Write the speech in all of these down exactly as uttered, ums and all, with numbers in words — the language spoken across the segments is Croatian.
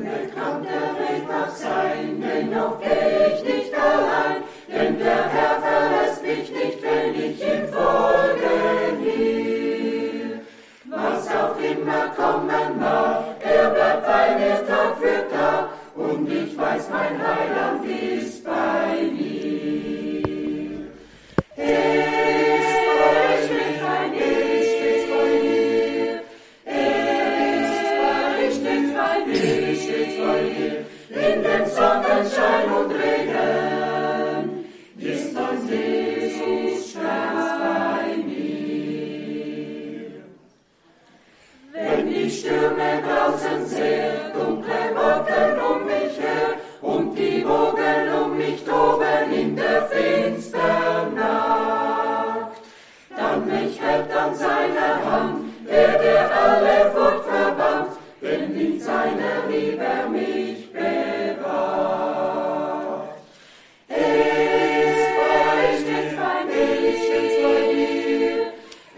unbekannter Weg mag sein, dennoch geh ich nicht allein, denn der Herr verlässt mich nicht, wenn ich ihm folgen will. Was auch immer kommen mag, er bleibt bei mir Tag für Tag, und ich weiß, mein Heiland ist bei mir. Er ist bei mir, er ist bei mir, er ist bei mir, stets bei mir, in dem Sonnenschein und Regen, ist mein Jesus stets bei mir. Wenn die Stürme draußen sehr dunkle Wolken um mich her und die Wogen um mich toben in der finstern Nacht, dann mich hält an seiner Hand, der der alle Furcht verbannt, denn in seiner Liebe er mich bewahrt. Er ist bei, stets bei mir, stets bei mir,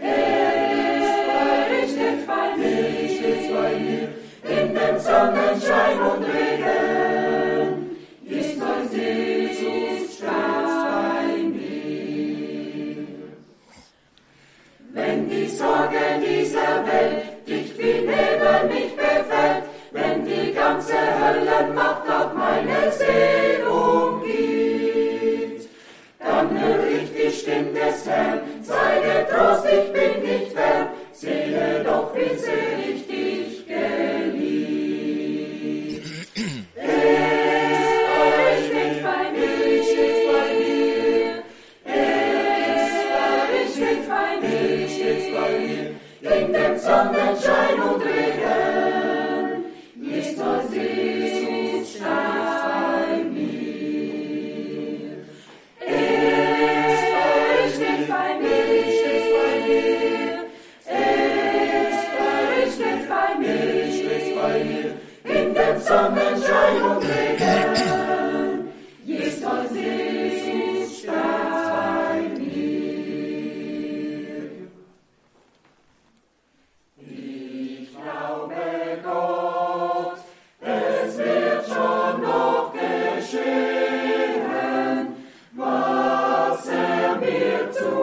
er ist bei, stets bei mir, stets bei mir, in dem Sonnenschein und Regen, ist mein Jesus stets bei mir. Wenn die Sorge dieser Welt dicht wie Nebel mich befällt, wenn die ganze Höllenmacht auf meine Seele umgibt, dann höre ich die Stimme des Herrn, sei getrost, ich bin nicht fern, sehe doch, wie sehr ich dich geliebt. Er steht bei mir, steht bei mir, er steht bei mir, steht bei mir, in dem Sonnenschein und Regen, ist mein Jesus stets bei mir. Er steht bei mir, steht bei mir, er steht bei mir, steht bei mir, in dem Sonnenschein und Regen, ist mein Jesus stets bei mir. Ich glaube Gott, es wird schon noch geschehen, was er mir zugesagt.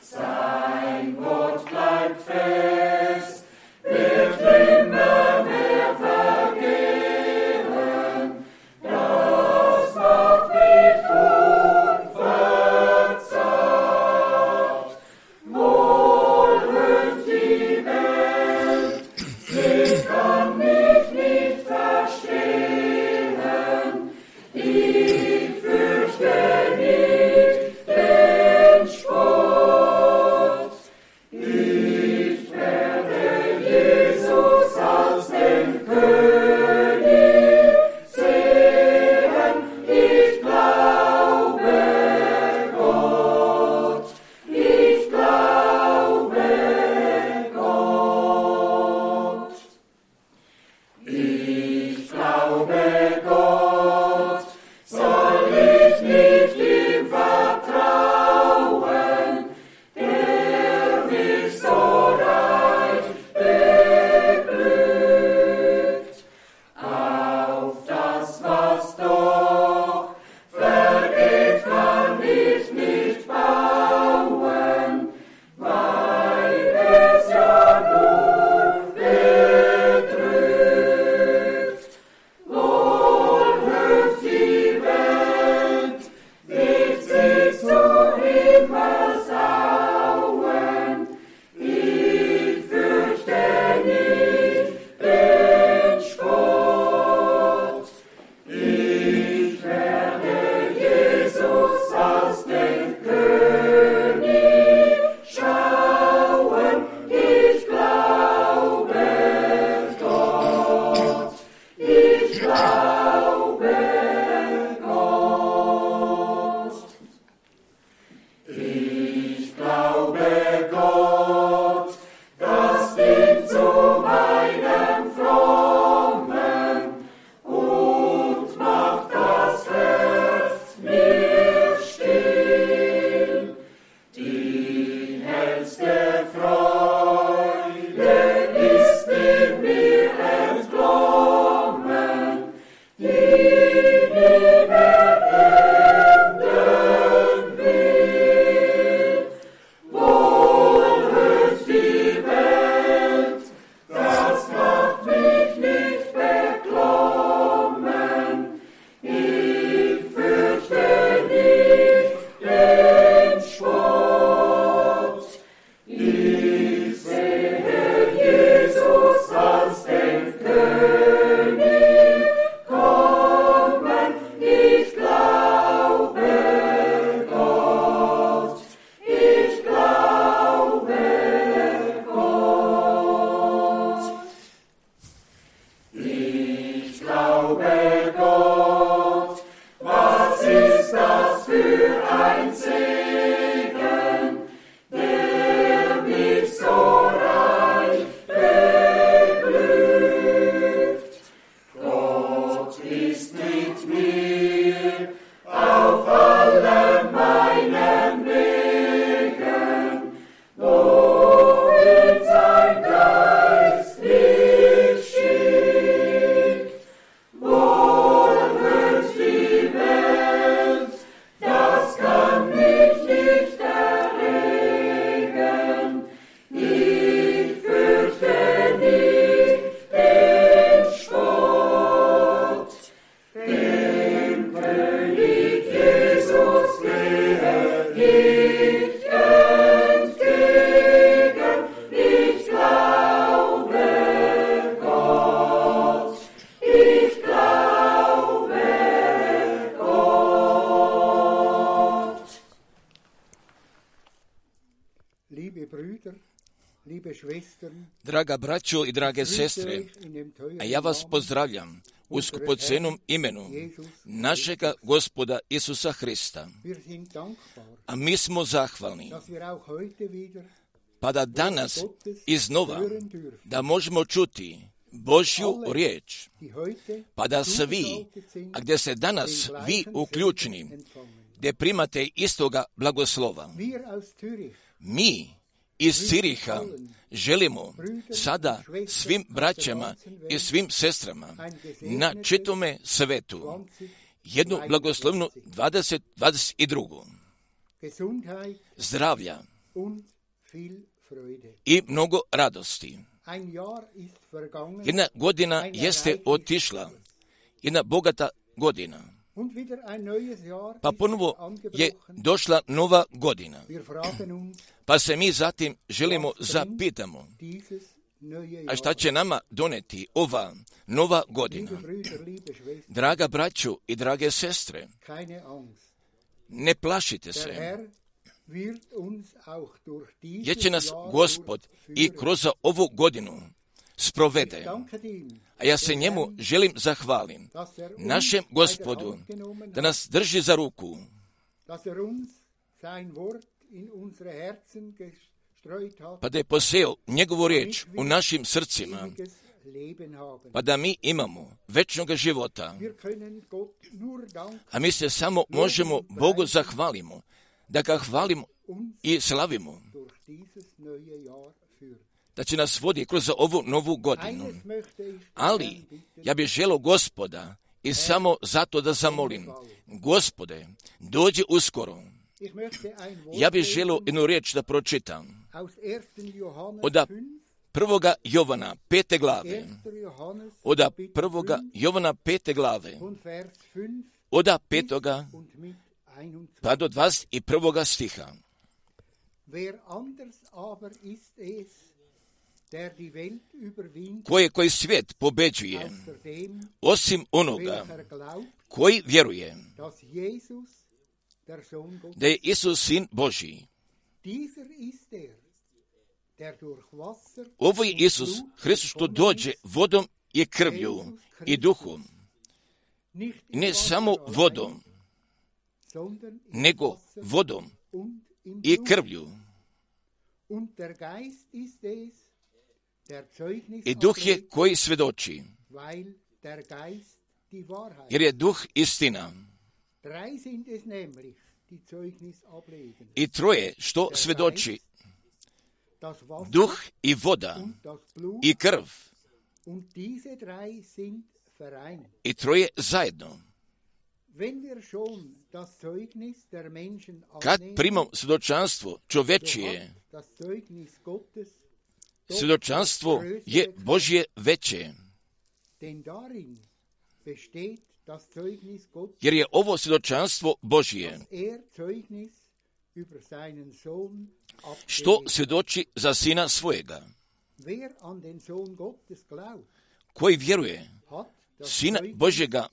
Sein Wort bleibt fest, wer Draga braćo i drage sestre, a ja vas pozdravljam u skupocenom imenu našega Gospoda Isusa Hrista. A mi smo zahvalni, pa da danas iznova da možemo čuti Božju riječ, pa da svi, a gdje se danas vi uključeni, gdje primate istoga blagoslova. Mi iz Ciriha želimo sada svim braćama i svim sestrama na čitome svetu jednu blagoslovnu dvadeset dvadeset dva. Zdravlja i mnogo radosti. Jedna godina jeste otišla, jedna bogata godina. Pa ponovo je došla nova godina. Pa se mi zatim želimo zapitamo, a šta će nama doneti ova nova godina? Draga braćo i drage sestre, ne plašite se, jer će nas Gospod i kroz ovu godinu sprovede. A ja se njemu želim zahvalim, našem Gospodu, da nas drži za ruku, pa da je poseo njegovu riječ u našim srcima, pa da mi imamo večnog života. A mi se samo možemo Bogu zahvalimo, da ga hvalimo i slavimo, da će nas vodi kroz ovu novu godinu. Ali ja bih želio Gospoda i samo zato da zamolim, Gospode, dođi uskoro. Ja bih želio jednu riječ da pročitam od prvoga Jovana pete glave, od prvoga Jovana pete glave, od petoga pa do dvadeset prvoga stiha. Koje koji svijet pobeđuje, osim onoga koji vjeruje da je Isus Sin Božji. Ovo je Isus Hristos što dođe vodom i krvlju i duhom. Ne samo vodom, nego vodom i krvlju. I duh je koji svjedoči, jer je duh istina. I troje što svjedoči, duh i voda i krv. I troje zajedno. Kad primam svjedočanstvo čovečije, svjedočanstvo je Božje veće. Jer je ovo svjedočanstvo Božje, što svjedoči za Sina svojega. Koji vjeruje Sina Božjega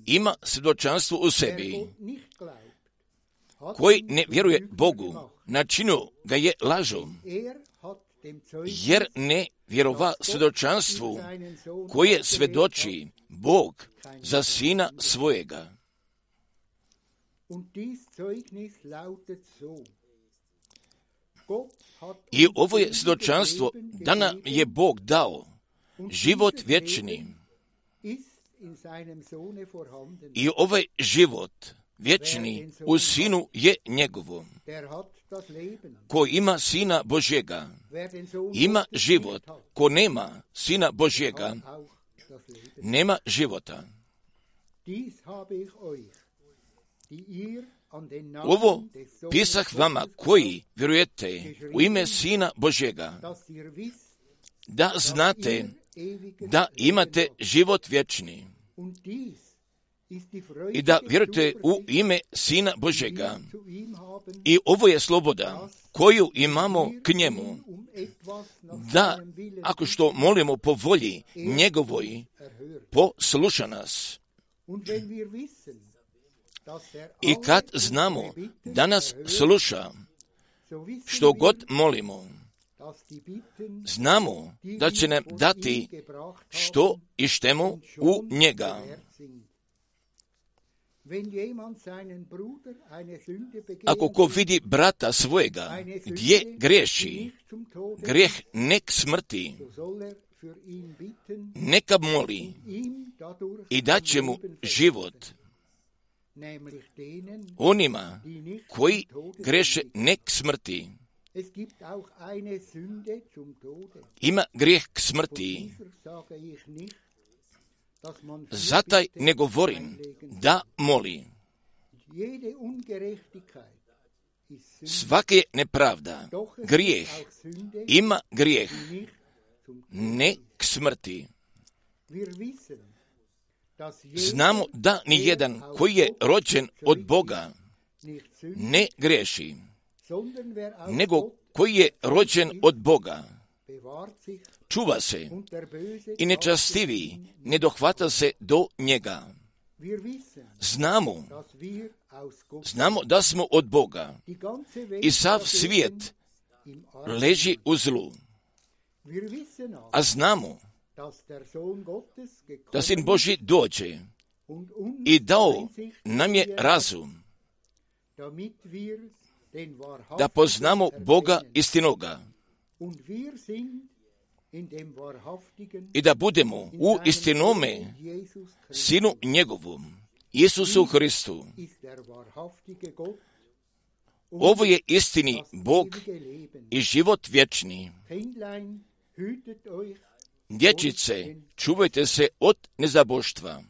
ima svjedočanstvo u sebi. Koji ne vjeruje Bogu, načinio ga je lažom, jer ne vjerova svjedočanstvu koje svjedoči Bog za Sina svojega. I ovo je svjedočanstvo da nam je Bog dao život vječni. I ovaj život vječni u Sinu je njegovom. Ko ima Sina Božjega, ima život. Ko nema Sina Božjega, nema života. Ovo pisah vama koji vjerujete u ime Sina Božjega, da znate da imate život vječni i da vjerujete u ime Sina Božjega. I ovo je sloboda koju imamo k njemu, da ako što molimo po volji njegovoj, posluša nas. I kad znamo da nas sluša, što god molimo, Znamo da će nam dati što i štemo u njega. Ako ko vidi brata svojega gdje griješi, grijeh nek smrti, neka moli i dat će mu život. Onima koji greše nek smrti. Ima grijeh k smrti. Zataj ne govorim da moli. Svaka je nepravda, grijeh, ima grijeh, ne k smrti. Znamo da ni jedan koji je rođen od Boga ne griješi, nego koji je rođen od Boga čuva se i nečastivi ne dohvata se do njega. Znamo, znamo da smo od Boga i sav svijet leži u zlu. A znamo da Sin Božji dođe i dao nam je razum da poznamo Boga istinoga i da budemo u istinome Sinu njegovom, Isusu Hristu. Ovo je istini Bog i život vječni. Dječice, čuvajte se od nezaboštva.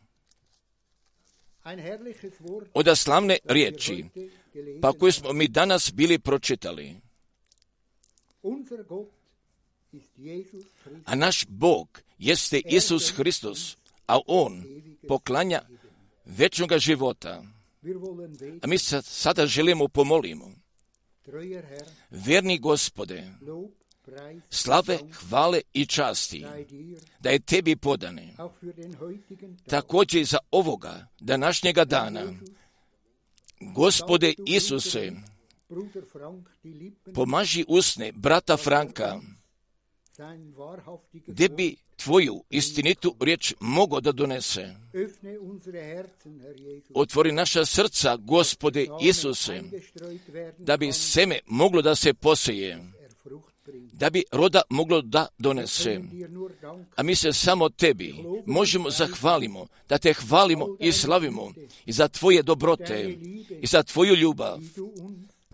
Od slavne riječi, pa koje smo mi danas bili pročitali. A naš Bog jeste Isus Hristos, a On poklanja večnoga života. A mi sada želimo pomolimo. Vjerni Gospode, slave, hvale i časti da je tebi podane. Također i za ovoga današnjega dana. Gospode Isuse, pomaži usne brata Franka, gdje bi tvoju istinitu riječ mogao da donese. Otvori naša srca, Gospode Isuse, da bi seme moglo da se poseje, da bi roda moglo da donese. A mi se samo tebi možemo zahvalimo, da te hvalimo i slavimo i za tvoje dobrote i za tvoju ljubav,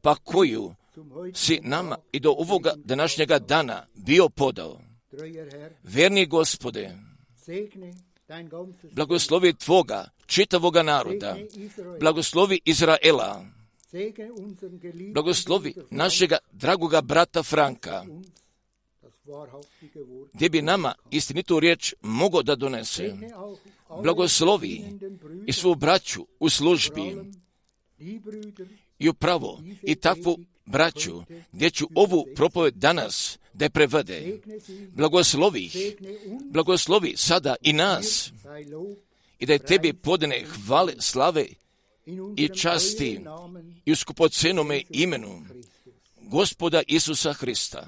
pa koju si nama i do ovoga današnjega dana bio podao. Vjerni Gospode, blagoslovi tvoga čitavoga naroda, blagoslovi Izraela, blagoslovi našega dragoga brata Franka, gdje bi nama istinitu riječ mogao da donese. Blagoslovi i svu braću u službi i upravo i takvu braću, gdje ću ovu propoved danas da je prevede. Blagoslovi, blagoslovi sada i nas i da je tebi podane hvale, slave i časti i u skupocenome imenu Gospoda Isusa Hrista.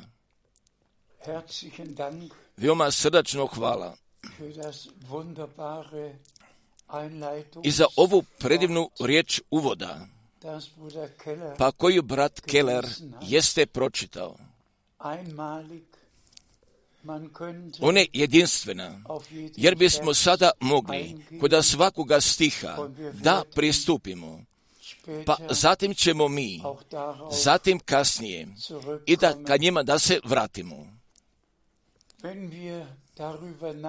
Veoma srdačno hvala i za ovu predivnu riječ uvoda, pa koju brat Keller jeste pročitao. Ona je jedinstvena, jer bismo sada mogli kod svakoga stiha da pristupimo, pa zatim ćemo mi, zatim kasnije, i da ka njima da se vratimo.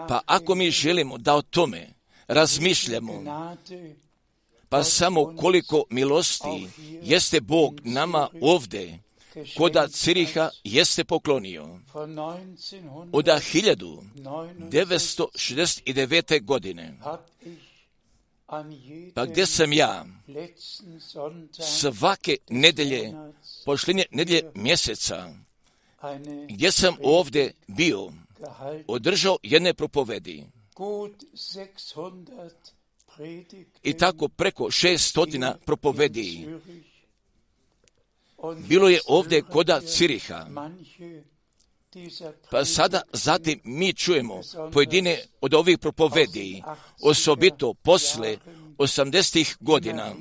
Pa ako mi želimo da o tome razmišljamo, pa samo koliko milosti jeste Bog nama ovdje, koda Ciriha jeste poklonio. Od hiljadu devetsto šezdeset devete. godine, pa gdje sam ja svake nedelje, posljednje nedelje mjeseca, gdje sam ovdje bio, održao jedne propovedi. I tako preko šeststotina propovedi. Bilo je ovdje koda Ciriha. Pa sada zatim mi čujemo pojedine od ovih propovedi, osobito posle osamdesetih godina,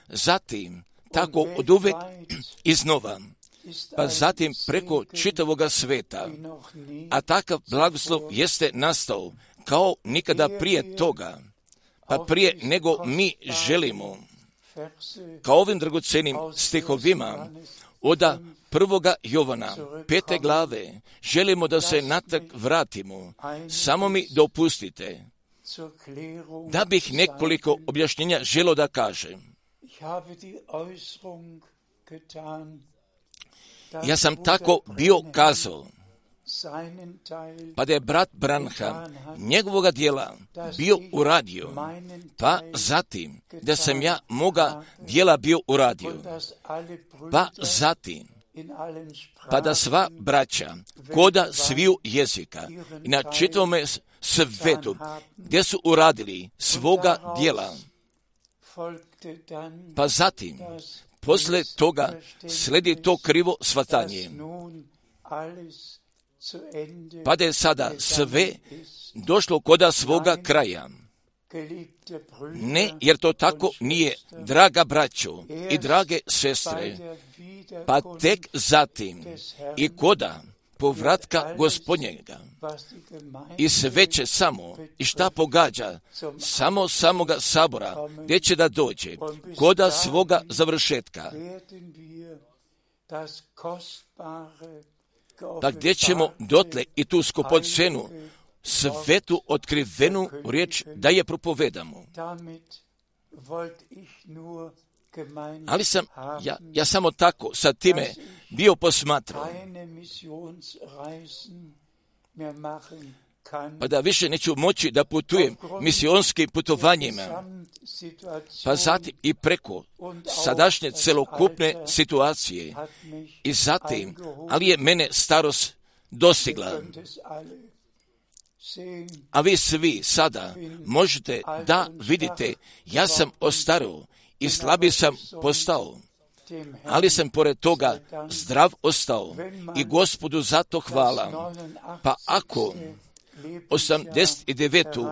zatim tako od uvek iznova, pa zatim preko čitavoga sveta, a takav blagoslov jeste nastao kao nikada prije toga, pa prije nego mi želimo, kao ovim dragocenim stihovima oda prvoga Jovana, pete glave, želimo da se natrag vratimo. Samo mi dopustite da bih nekoliko objašnjenja želio da kažem. Ja sam tako bio kazao, pa da je brat Branham njegovoga dijela bio uradio, pa zatim da sam ja moga dijela bio uradio, pa zatim pa da sva braća koda sviju jezika i na čitavome svetu gdje su uradili svoga dijela, pa zatim posle toga sledi to krivo shvatanje, pa da je sada sve došlo koda svoga kraja. Ne, jer to tako nije, draga braćo i drage sestre, pa tek zatim i koda povratka Gospodnjega. I sve će samo, i šta pogađa, samo samoga sabora, gdje će da dođe, koda svoga završetka. Pa gdje ćemo dotle i tu skupocenu, svetu otkrivenu riječ da je propovedamo. Ali sam, ja, ja samo tako sa time bio posmatrao, pa da više neću moći da putujem misionskim putovanjima, pa zatim i preko sadašnje celokupne situacije i zatim, ali je mene starost dostigla. A vi svi sada možete da vidite, ja sam ostarao i slabi sam postao, ali sam pored toga zdrav ostao i Gospodu za to hvala. Pa ako osamdeset devetu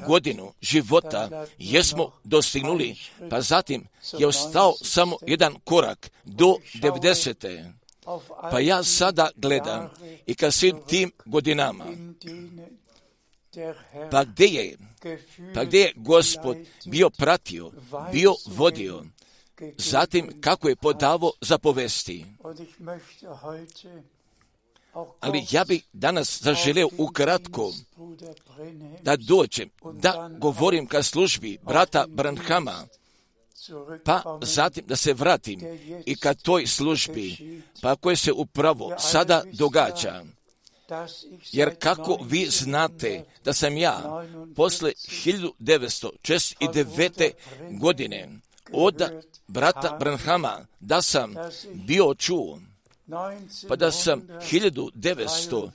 godinu života jesmo dostignuli, pa zatim je ostao samo jedan korak do devedesete. Pa ja sada gledam i ka svim tim godinama, pa gdje je, pa gdje je Gospod bio pratio, bio vodio, zatim kako je podavo zapovesti. Ali ja bih danas zaželeo ukratko da dođem, da govorim ka službi brata Branhama, pa zatim da se vratim i ka toj službi, pa koje se upravo sada događa. Jer kako vi znate da sam ja posle hiljadu devetsto šezdeset devete. godine od brata Branhama da sam bio čuo, pa da sam hiljadu devetsto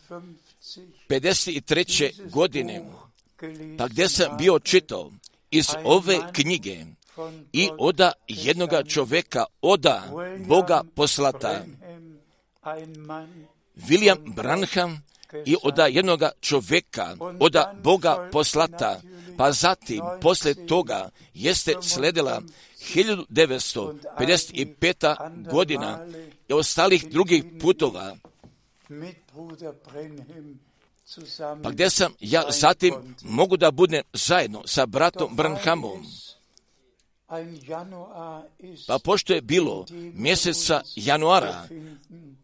pedeset treće. godine, pa gdje sam bio čitao iz ove knjige i oda jednoga čoveka, oda Boga poslata, William Branham, i oda jednoga čoveka, oda Boga poslata, pa zatim posle toga jeste sledila hiljadu devetsto pedeset peta. godina i ostalih drugih putova, pa gdje sam ja zatim mogu da budem zajedno sa bratom Branhamom. Pa pošto je bilo mjeseca januara,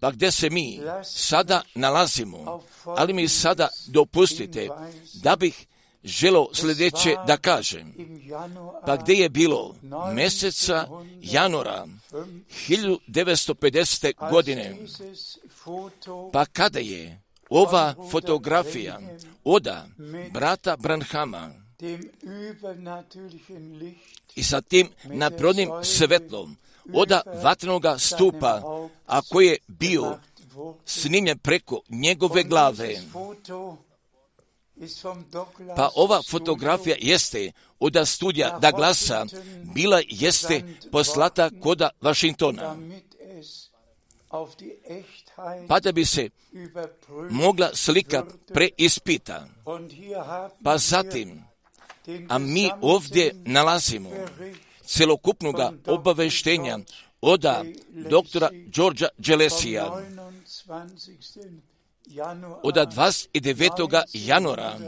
pa gdje se mi sada nalazimo, ali mi sada dopustite da bih želio sljedeće da kažem. Pa gdje je bilo mjeseca januara hiljadu devetsto pedesete. godine, pa kada je ova fotografija oda brata Branhama i sa tim naprodnim svetlom oda vatrenoga stupa, a koji je bio snimljen preko njegove glave. Pa ova fotografija jeste oda studija Douglasa, bila jeste poslata koda Washingtona. pa da bi se mogla slika preispita. Pa zatim, a mi ovdje nalazimo celokupnoga obaveštenja od doktora Georgea Gelesija od dvadeset devetog januara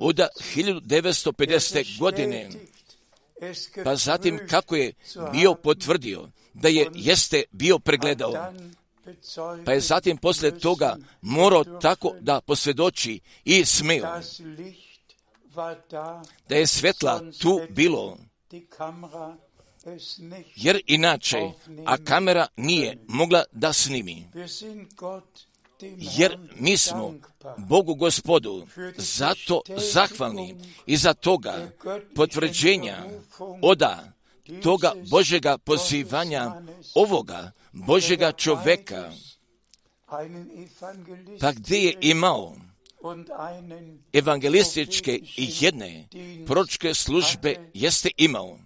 od hiljadu devetsto pedesete. godine, pa zatim kako je bio potvrdio da je jeste bio pregledao, pa je zatim poslije toga morao tako da posvjedoči i smeo da je svjetla tu bilo, jer inače, a kamera nije mogla da snimi. Jer mi smo Bogu Gospodu zato zahvalni i za toga potvrđenja oda toga Božjega pozivanja ovoga Božjega čoveka, pa gdje je imao evangelističke i jedne proročke službe jeste imao.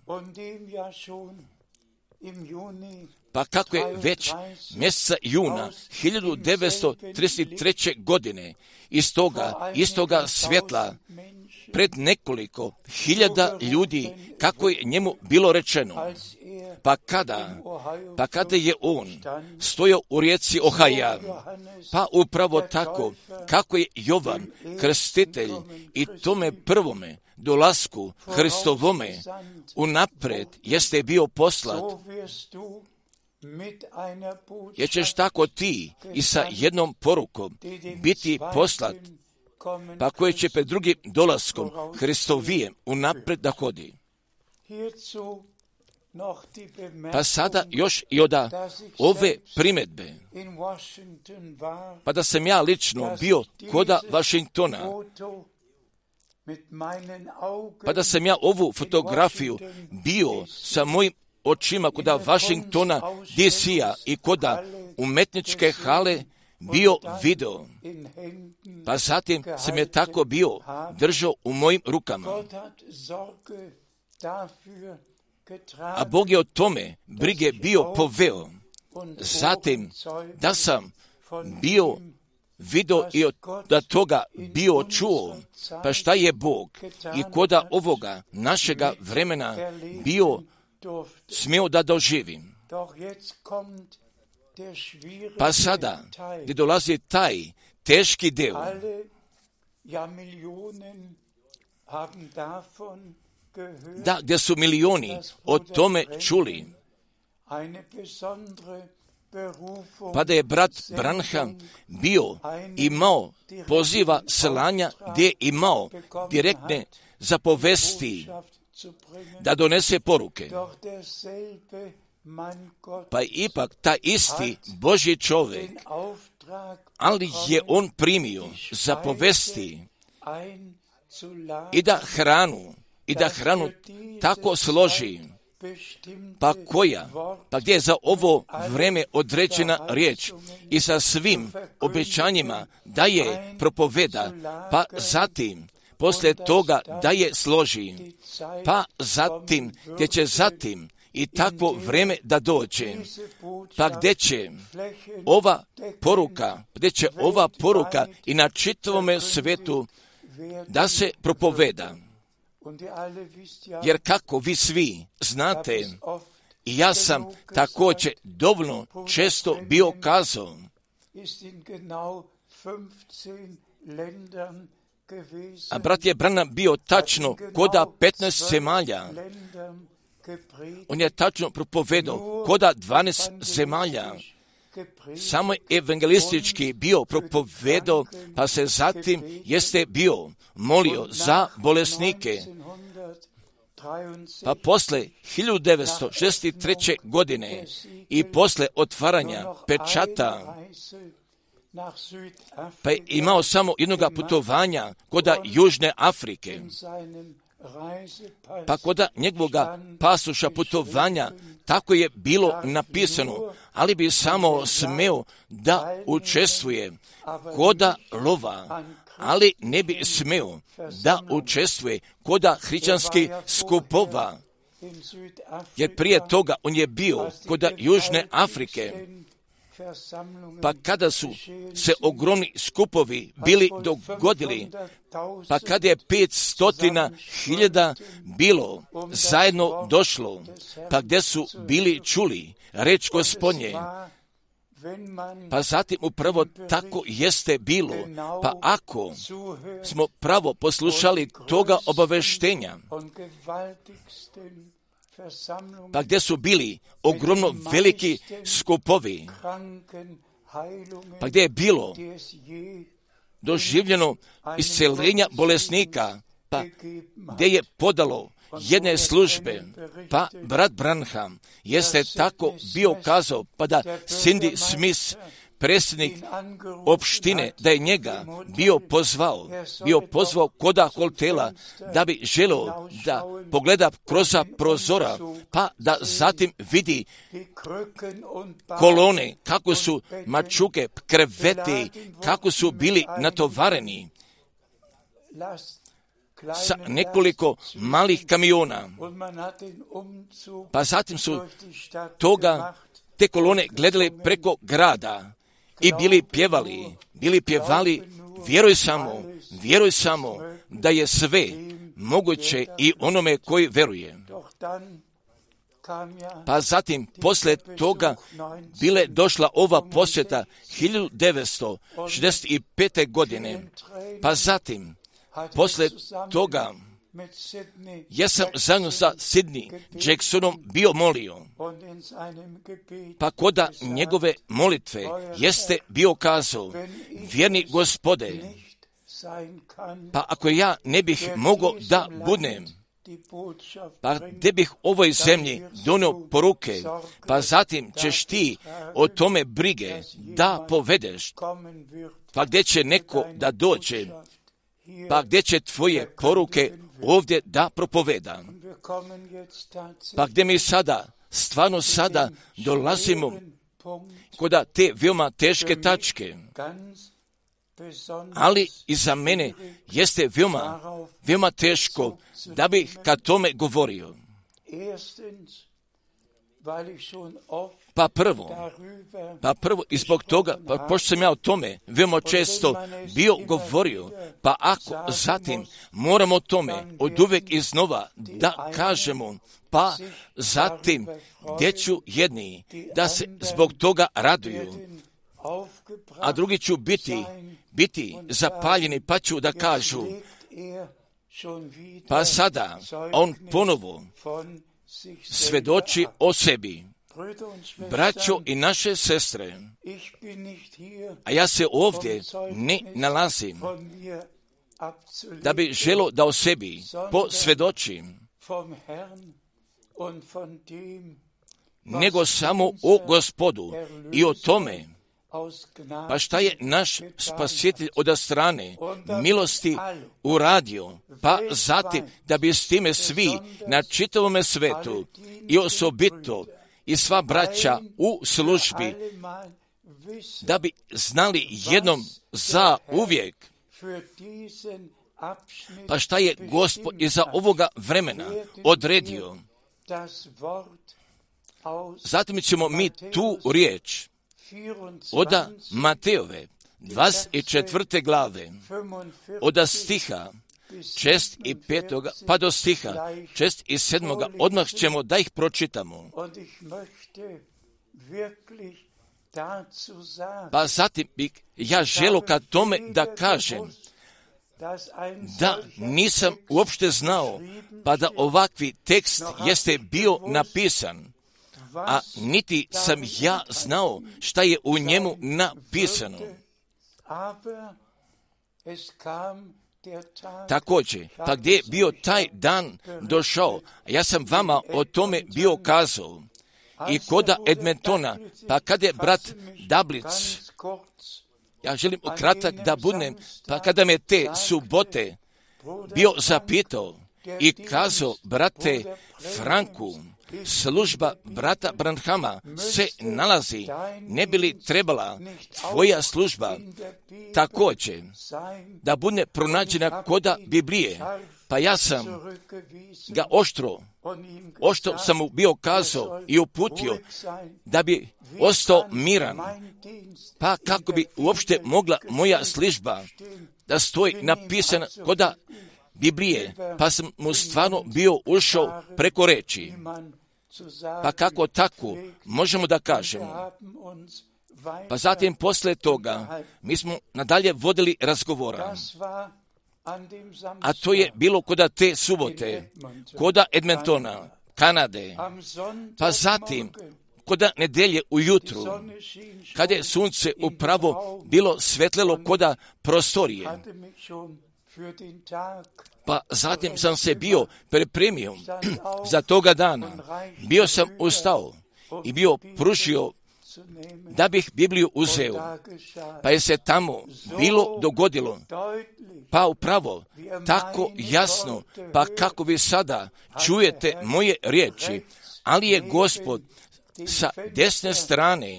Pa kako je već mjeseca juna hiljadu devetsto trideset treće. godine iz toga istoga svjetla pred nekoliko hiljada ljudi, kako je njemu bilo rečeno, pa kada, pa kada je on stojao u rijeci Ohaja, pa upravo tako kako je Jovan krstitelj i tome prvome dolasku Hristovome unaprijed jeste bio poslat, jer ćeš tako ti i sa jednom porukom biti poslat, pa koje će pred drugim dolaskom Hristovijem unaprijed da hodi. Pa sada još i od ove primjedbe, pa da sam ja lično bio koda Washingtona, pa da sam ja ovu fotografiju bio sa mojim očima koda Washingtona, D C-a i koda umetničke hale bio video, pa zatim sam je tako bio držao u mojim rukama. A Bog je o tome brige bio poveo. Zatim da sam bio video i od da toga bio čuo, pa šta je Bog i koda ovoga našega vremena bio smio da doživim. Pa sada, gdje dolazi taj teški del, da, gdje su milioni o tome čuli, pa da je brat Branham bio imao poziva slanja gdje je imao direktne zapovesti da donese poruke. Pa ipak ta isti Božji čovjek, ali je on primio zapovesti i da hranu, i da hranu tako složi, pa koja, pa gdje je za ovo vreme određena riječ i sa svim obećanjima da je propoveda, pa zatim poslije toga da je složi, pa zatim gdje će zatim i takvo vreme da dođe, pa gdje će ova poruka, gdje će ova poruka i na čitavome svetu da se propoveda. Jer kako vi svi znate, i ja sam također dovoljno često bio kazao, a brat je Branham bio tačno koda petnaest zemalja. On je tačno propovedao koda dvanaest zemalja. Samo evangelistički bio propovedao, pa se zatim jeste bio molio za bolesnike. Pa posle hiljadu devetsto šezdeset treće. godine i posle otvaranja pečata, pa je imao samo jednoga putovanja koda Južne Afrike, pa koda njegovoga pasoša putovanja tako je bilo napisano, ali bi samo smeo da učestvuje koda lova, ali ne bi smeo da učestvuje koda hrišćanskih skupova, jer prije toga on je bio koda Južne Afrike, Pa kada su se ogromni skupovi bili dogodili, pa kada je pet stotina hiljada bilo zajedno došlo, pa gdje su bili čuli reč Gospodnje, pa zatim upravo tako jeste bilo. Pa ako smo pravo poslušali toga obaveštenja, pa gdje su bili ogromno veliki skupovi, pa gdje je bilo doživljeno isceljenja bolesnika, pa gdje je podalo jedne službe, pa brat Branham jeste tako bio kazao, pa da Cindy Smith, predsjednik opštine, da je njega bio pozvao, bio pozvao koda hotela, da bi želio da pogleda kroz prozora, pa da zatim vidi kolone, kako su mačuke, kreveti, kako su bili natovareni sa nekoliko malih kamiona. Pa zatim su toga, te kolone gledali preko grada i bili pjevali, bili pjevali, vjeruj samo, vjeruj samo da je sve moguće i onome koji veruje. Pa zatim, poslije toga, bile došla ova posjeta hiljadu devetsto šezdeset pete. godine. Pa zatim, poslije toga, ja sam zajedno sa Sidney Jacksonom bio molio, pa koda njegove molitve jeste bio kazao, vjerni Gospode, pa ako ja ne bih mogao da budem, pa gdje bih ovoj zemlji donio poruke, pa zatim ćeš ti o tome brige da povedeš, pa gdje će neko da dođe, pa gdje će tvoje poruke ovdje da propoveda. Pa gdje mi sada, stvarno sada dolazimo koda te veoma teške tačke, ali i za mene jeste veoma, veoma teško da bih kad tome govorio. Pa prvo, pa prvo i zbog toga, pa pošto sam ja o tome veoma često bio govorio, pa ako zatim moramo o tome od uvek iznova da kažemo, pa zatim gdje ću jedni da se zbog toga raduju, a drugi ću biti, biti zapaljeni, pa ću da kažu, pa sada on ponovo svedoči o sebi. Braćo i naše sestre, a ja se ovdje ne nalazim da bi želo da o sebi posvjedočim, nego samo o Gospodu i o tome, pa šta je naš spasitelj od strane milosti uradio, pa zatim da bi s time svi na čitavome svetu i osobito i sva braća u službi, da bi znali jednom za uvijek, pa šta je Gospod iza ovoga vremena odredio. Zatim ćemo mi tu riječ oda Matejove dvadeset četvrte glave, oda stiha šest i petoga pa do stiha šest i sedmoga, odmah ćemo da ih pročitamo. Pa zatim bih ja želo kad tome da kažem da nisam uopšte znao, pa da ovakvi tekst jeste bio napisan, a niti sam ja znao šta je u njemu napisano. Također, pa gdje je bio taj dan došao, ja sam vama o tome bio kazao, i koda Edmontona, pa kada je brat Dablic, ja želim kratak da budem, pa kada me te subote bio zapitao i kazao, brate Franku, služba brata Branhama se nalazi, ne bi li trebala tvoja služba također da bude pronađena koda Biblije, Pa ja sam ga oštro, oštro sam mu bio kazao i uputio da bi ostao miran. Pa kako bi uopšte mogla moja služba da stoji napisana koda Biblije, pa sam mu stvarno bio ušao preko reči. Pa kako tako možemo da kažemo? Pa zatim posle toga mi smo nadalje vodili razgovora. A to je bilo koda te subote, koda Edmontona, Kanade. Pa zatim koda nedelje ujutru, kada je sunce upravo bilo svetlelo koda prostorije. Pa zatim sam se bio pripremio za toga dana. Bio sam ustao i bio pružio da bih Bibliju uzeo. Pa je se tamo bilo dogodilo. Pa upravo tako jasno, pa kako vi sada čujete moje riječi, ali je Gospod sa desne strane,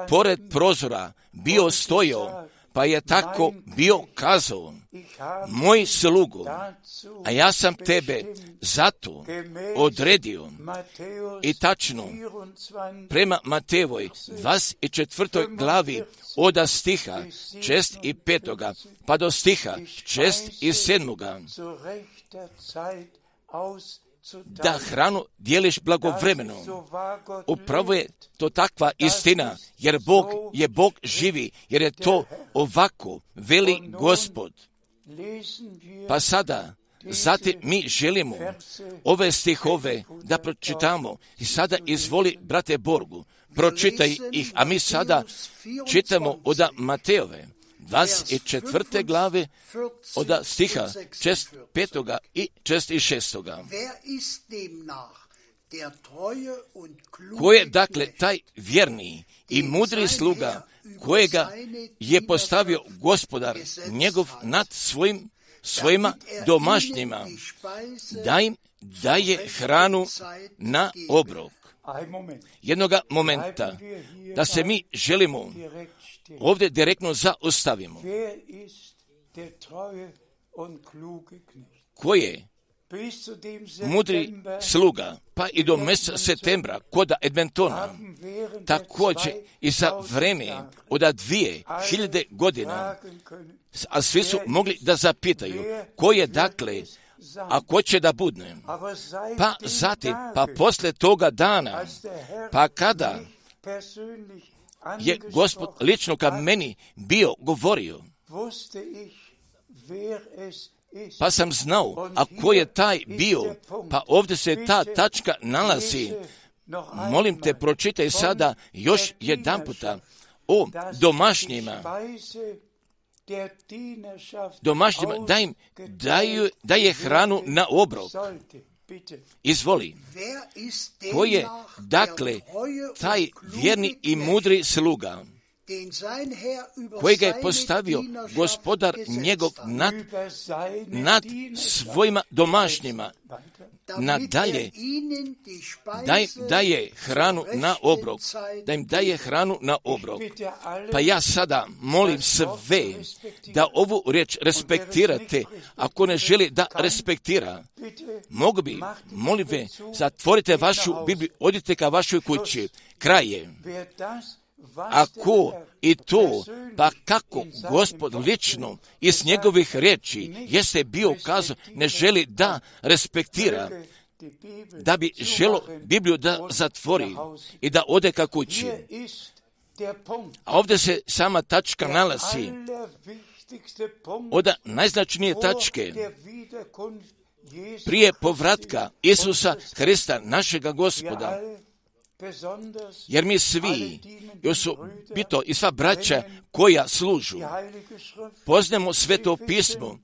pored prozora, bio stojao, pa je tako bio kazao, moj slugo, a ja sam tebe zato odredio. I tačno, prema Matejevoj dvadeset četvrtoj glavi od stiha šest i petoga pa do stiha šest i sedmoga, da hranu dijeliš blagovremeno. Upravo je to takva istina, jer Bog je Bog živi, jer je to ovako, veli Gospod. Pa sada, zatim mi želimo ove stihove da pročitamo. I sada izvoli, brate Borgu, pročitaj ih, a mi sada čitamo od Matejove dvadeset četvrte glave od stiha šest petoga i šest i šestoga. Ko je dakle taj vjerni i mudri sluga kojega je postavio Gospodar njegov nad svojim svojima domašnjima, da im daje hranu na obrok. Jednoga momenta da se mi želimo ovdje direktno zaustavimo. Ko je mudri sluga, pa i do mjeseca septembra koda Edmontona, također i za vreme od dvije hiljade godina, a svi su mogli da zapitaju ko je dakle, a ko će da budne. Pa zatim, pa posle toga dana, pa kada je Gospod lično ka meni bio govorio, pa sam znao, a ko je taj bio, pa ovdje se ta tačka nalazi. Molim te, pročitaj sada još jedan puta o domašnjima. Domašnjima, da im daju, daje hranu na obrok. Izvoli. Ko je, dakle, taj vjerni i mudri sluga, kojega je postavio Gospodar njegov nad, nad svojima domašnjima, nadalje, da im daje hranu na obrok, da im daje hranu na obrok. Pa ja sada molim sve da ovu riječ respektirate, ako ne želi da respektira. Mogu bi, molim ve, zatvorite vašu Bibliju, odite ka vašoj kući, kraj je. Ako i to, pa kako Gospod lično iz njegovih riječi jeste bio kazao, ne želi da respektira, da bi želo Bibliju da zatvori i da ode ka kući. A ovdje se sama tačka nalazi od najznačajnije tačke prije povratka Isusa Hrista, našega Gospoda. Jer mi svi, osobito i sva braća koja služu, poznamo Sveto pismo,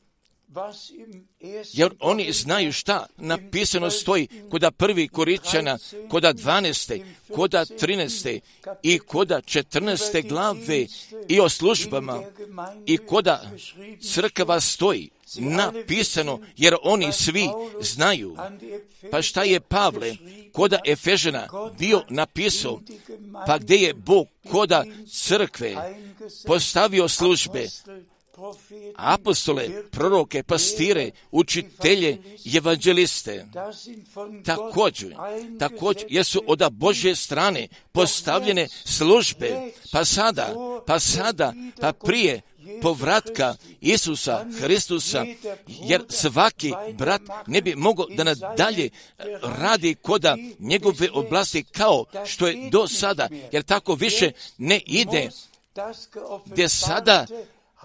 jer oni znaju šta napisano stoji koda prvi Korinćana, koda dvanaeste, koda trinaeste i koda četrnaeste glave i o službama i koda crkva stoji napisano, jer oni svi znaju. Pa šta je Pavle koda Efežana bio napisao, pa gdje je Bog koda crkve postavio službe, apostole, proroke, pastire, učitelje, evanđeliste. Također, također jesu od Božje strane postavljene službe, pa sada, pa sada, pa prije povratka Isusa Hristusa, jer svaki brat ne bi mogao da nadalje radi koda njegove oblasti kao što je do sada, jer tako više ne ide, gdje sada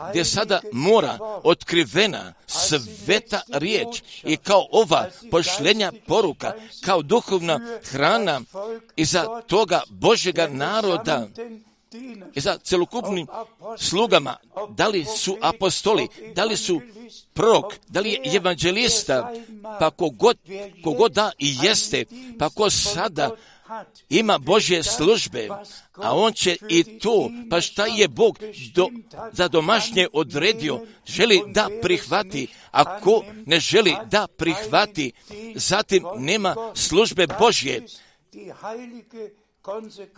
gdje sada mora otkrivena sveta riječ i kao ova pošljenja poruka, kao duhovna hrana i za toga Božjega naroda i za celokupnim slugama, da li su apostoli, da li su prorok, da li je evanđelista, pa kogod, kogod da i jeste, pa ko sada ima Božje službe, a on će i to, pa šta je Bog do, za domašnje odredio, želi da prihvati, a ko ne želi da prihvati, zatim nema službe Božje.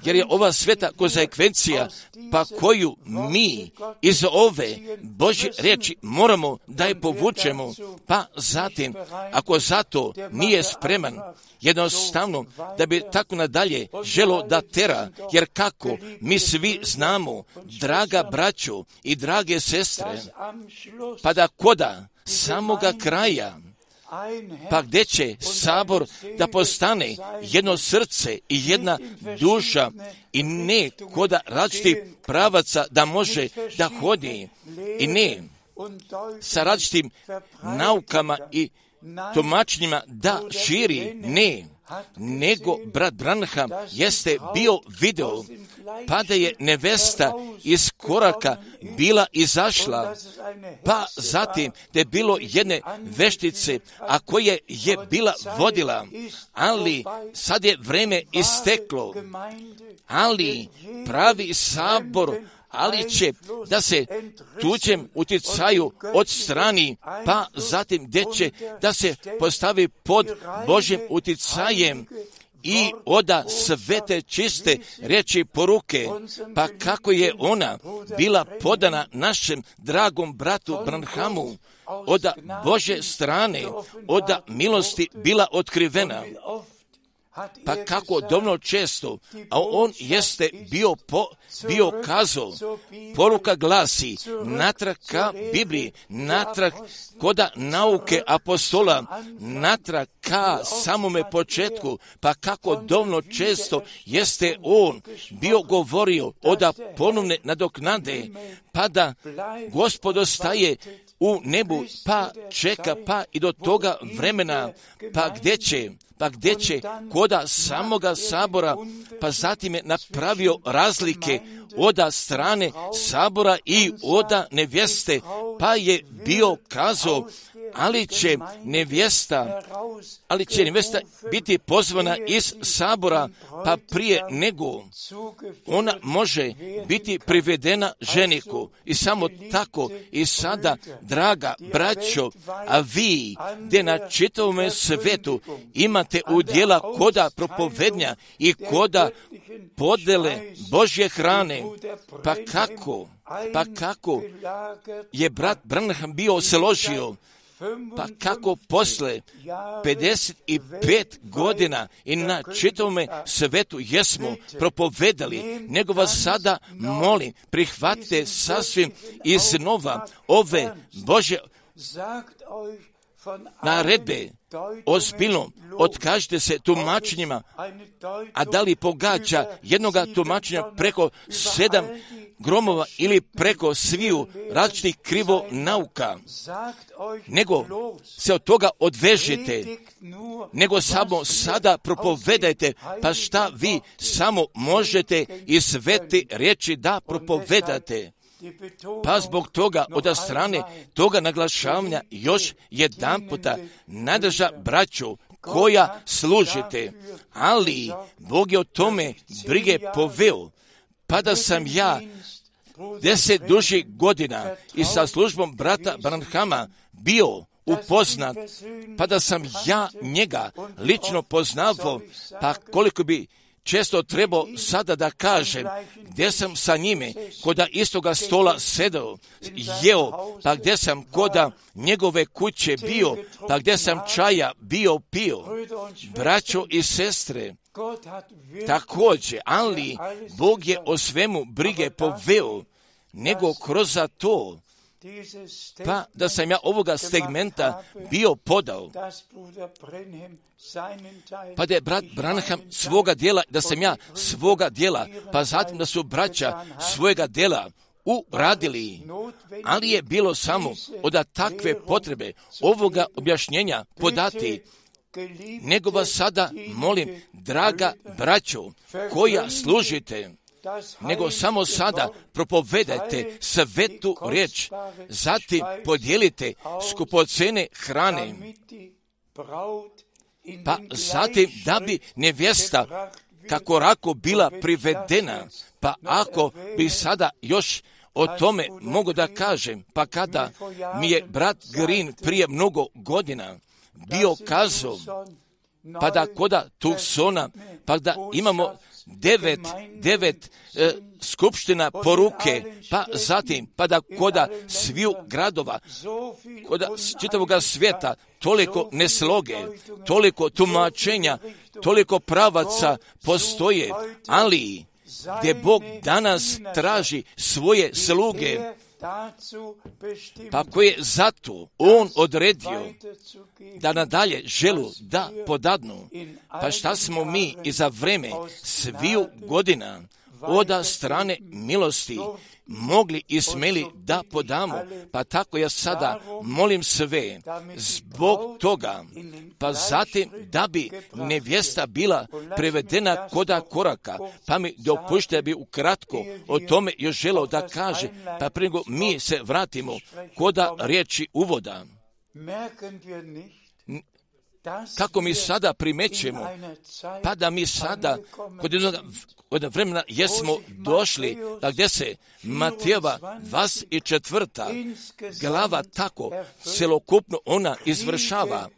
Jer je ova sveta konsekvencija, pa koju mi iz ove Božje riječi moramo da je povučemo, pa zatim, ako zato nije spreman, jednostavno da bi tako nadalje želo da tera, jer kako mi svi znamo, draga braćo i drage sestre, pa da koda samoga kraja, pa gdje će sabor da postane jedno srce i jedna duša i ne koda različitih pravaca da može da hodi i ne sa različitim naukama i tumačenjima da širi, ne, nego brat Branham jeste bio video, pa da je nevesta iz koraka bila izašla, pa zatim da je bilo jedne veštice, a koje je bila vodila, ali sad je vreme isteklo, ali pravi sabor, ali će da se tuđem utjecaju odstrani, pa zatim gdje će da se postavi pod Božjim utjecajem i oda svete čiste riječi poruke, pa kako je ona bila podana našem dragom bratu Branhamu, oda Božje strane, oda milosti bila otkrivena. Pa kako dovoljno često, a on jeste bio, po, bio kazao, poruka glasi, natrag ka Bibliji, natrag koda nauke apostola, natrag ka samome početku, pa kako dovoljno često jeste on bio govorio oda ponovne nadoknade, pa da Gospod ostaje u nebu, pa čeka, pa i do toga vremena, pa gdje će, pa gdje će koda samoga sabora, pa zatim je napravio razlike oda strane sabora i oda nevjeste, pa je bio kazao, ali će nevjesta, ali će nevjesta biti pozvana iz sabora, pa prije nego ona može biti privedena ženiku. I samo tako i sada, draga braćo, a vi, gdje na čitavome svetu imate udjela koda propovednja i koda podele Božje hrane, pa kako, pa kako je brat Branham bio se ložio, pa kako posle pedeset pet godina i na čitavome svetu jesmo propovedali, nego vas sada molim, prihvatite sasvim iznova ove Božje naredbe, ozbiljno otkažite se tumačenjima, a da li pogađa jednoga tumačenja preko sedam gromova ili preko sviju različitih krivo nauka, nego se od toga odvežete, nego samo sada propovedajte, pa šta vi samo možete i svete riječi da propovedate. Pa zbog toga od strane toga naglašavanja još jedan puta nadrža braću koja služite, ali Bog je o tome brige poveo, pa da sam ja deset dužih godina i sa službom brata Branhama bio upoznat, pa da sam ja njega lično poznavao, pa koliko bi često trebao sada da kažem gdje sam sa njime koda istoga stola sedao, jeo, pa gdje sam koda njegove kuće bio, pa gdje sam čaja bio pio. Braćo i sestre, također, ali Bog je o svemu brige poveo, nego kroz to, pa da sam ja ovoga segmenta bio podao, pa da je brat Branham svoga djela, da sam ja svoga djela, pa zatim da su braća svojega djela uradili, ali je bilo samo od takve potrebe ovoga objašnjenja podati, nego vas sada molim, draga braćo, koja služite, nego samo sada propovedajte svetu riječ, zatim podijelite skupocene hrane, pa zatim da bi nevjesta kako rako bila privedena, pa ako bi sada još o tome mogu da kažem, pa kada mi je brat Green prije mnogo godina bio kazao, pa da koda Tucsona, pa da imamo devet, devet e, skupština poruke, pa zatim, pa da koda sviju gradova, koda čitavoga svijeta, toliko nesloge, toliko tumačenja, toliko pravaca postoje, ali gdje Bog danas traži svoje sluge, pa koje zato On odredio da nadalje želu da podadnu. Pa šta smo mi i za vreme sviju godina oda strane milosti mogli i smeli da podamo, pa tako ja sada molim sve zbog toga, pa zatim da bi nevjesta bila prevedena koda koraka, pa mi dopušte bi ukratko o tome još želeo da kaže, pa prije nego mi se vratimo koda riječi uvoda. Kako mi sada primećemo, pa da mi sada kod jednog, kod vremena jesmo došli da gdje se Matejeva dvadeset četvrta glava tako celokupno ona izvršava,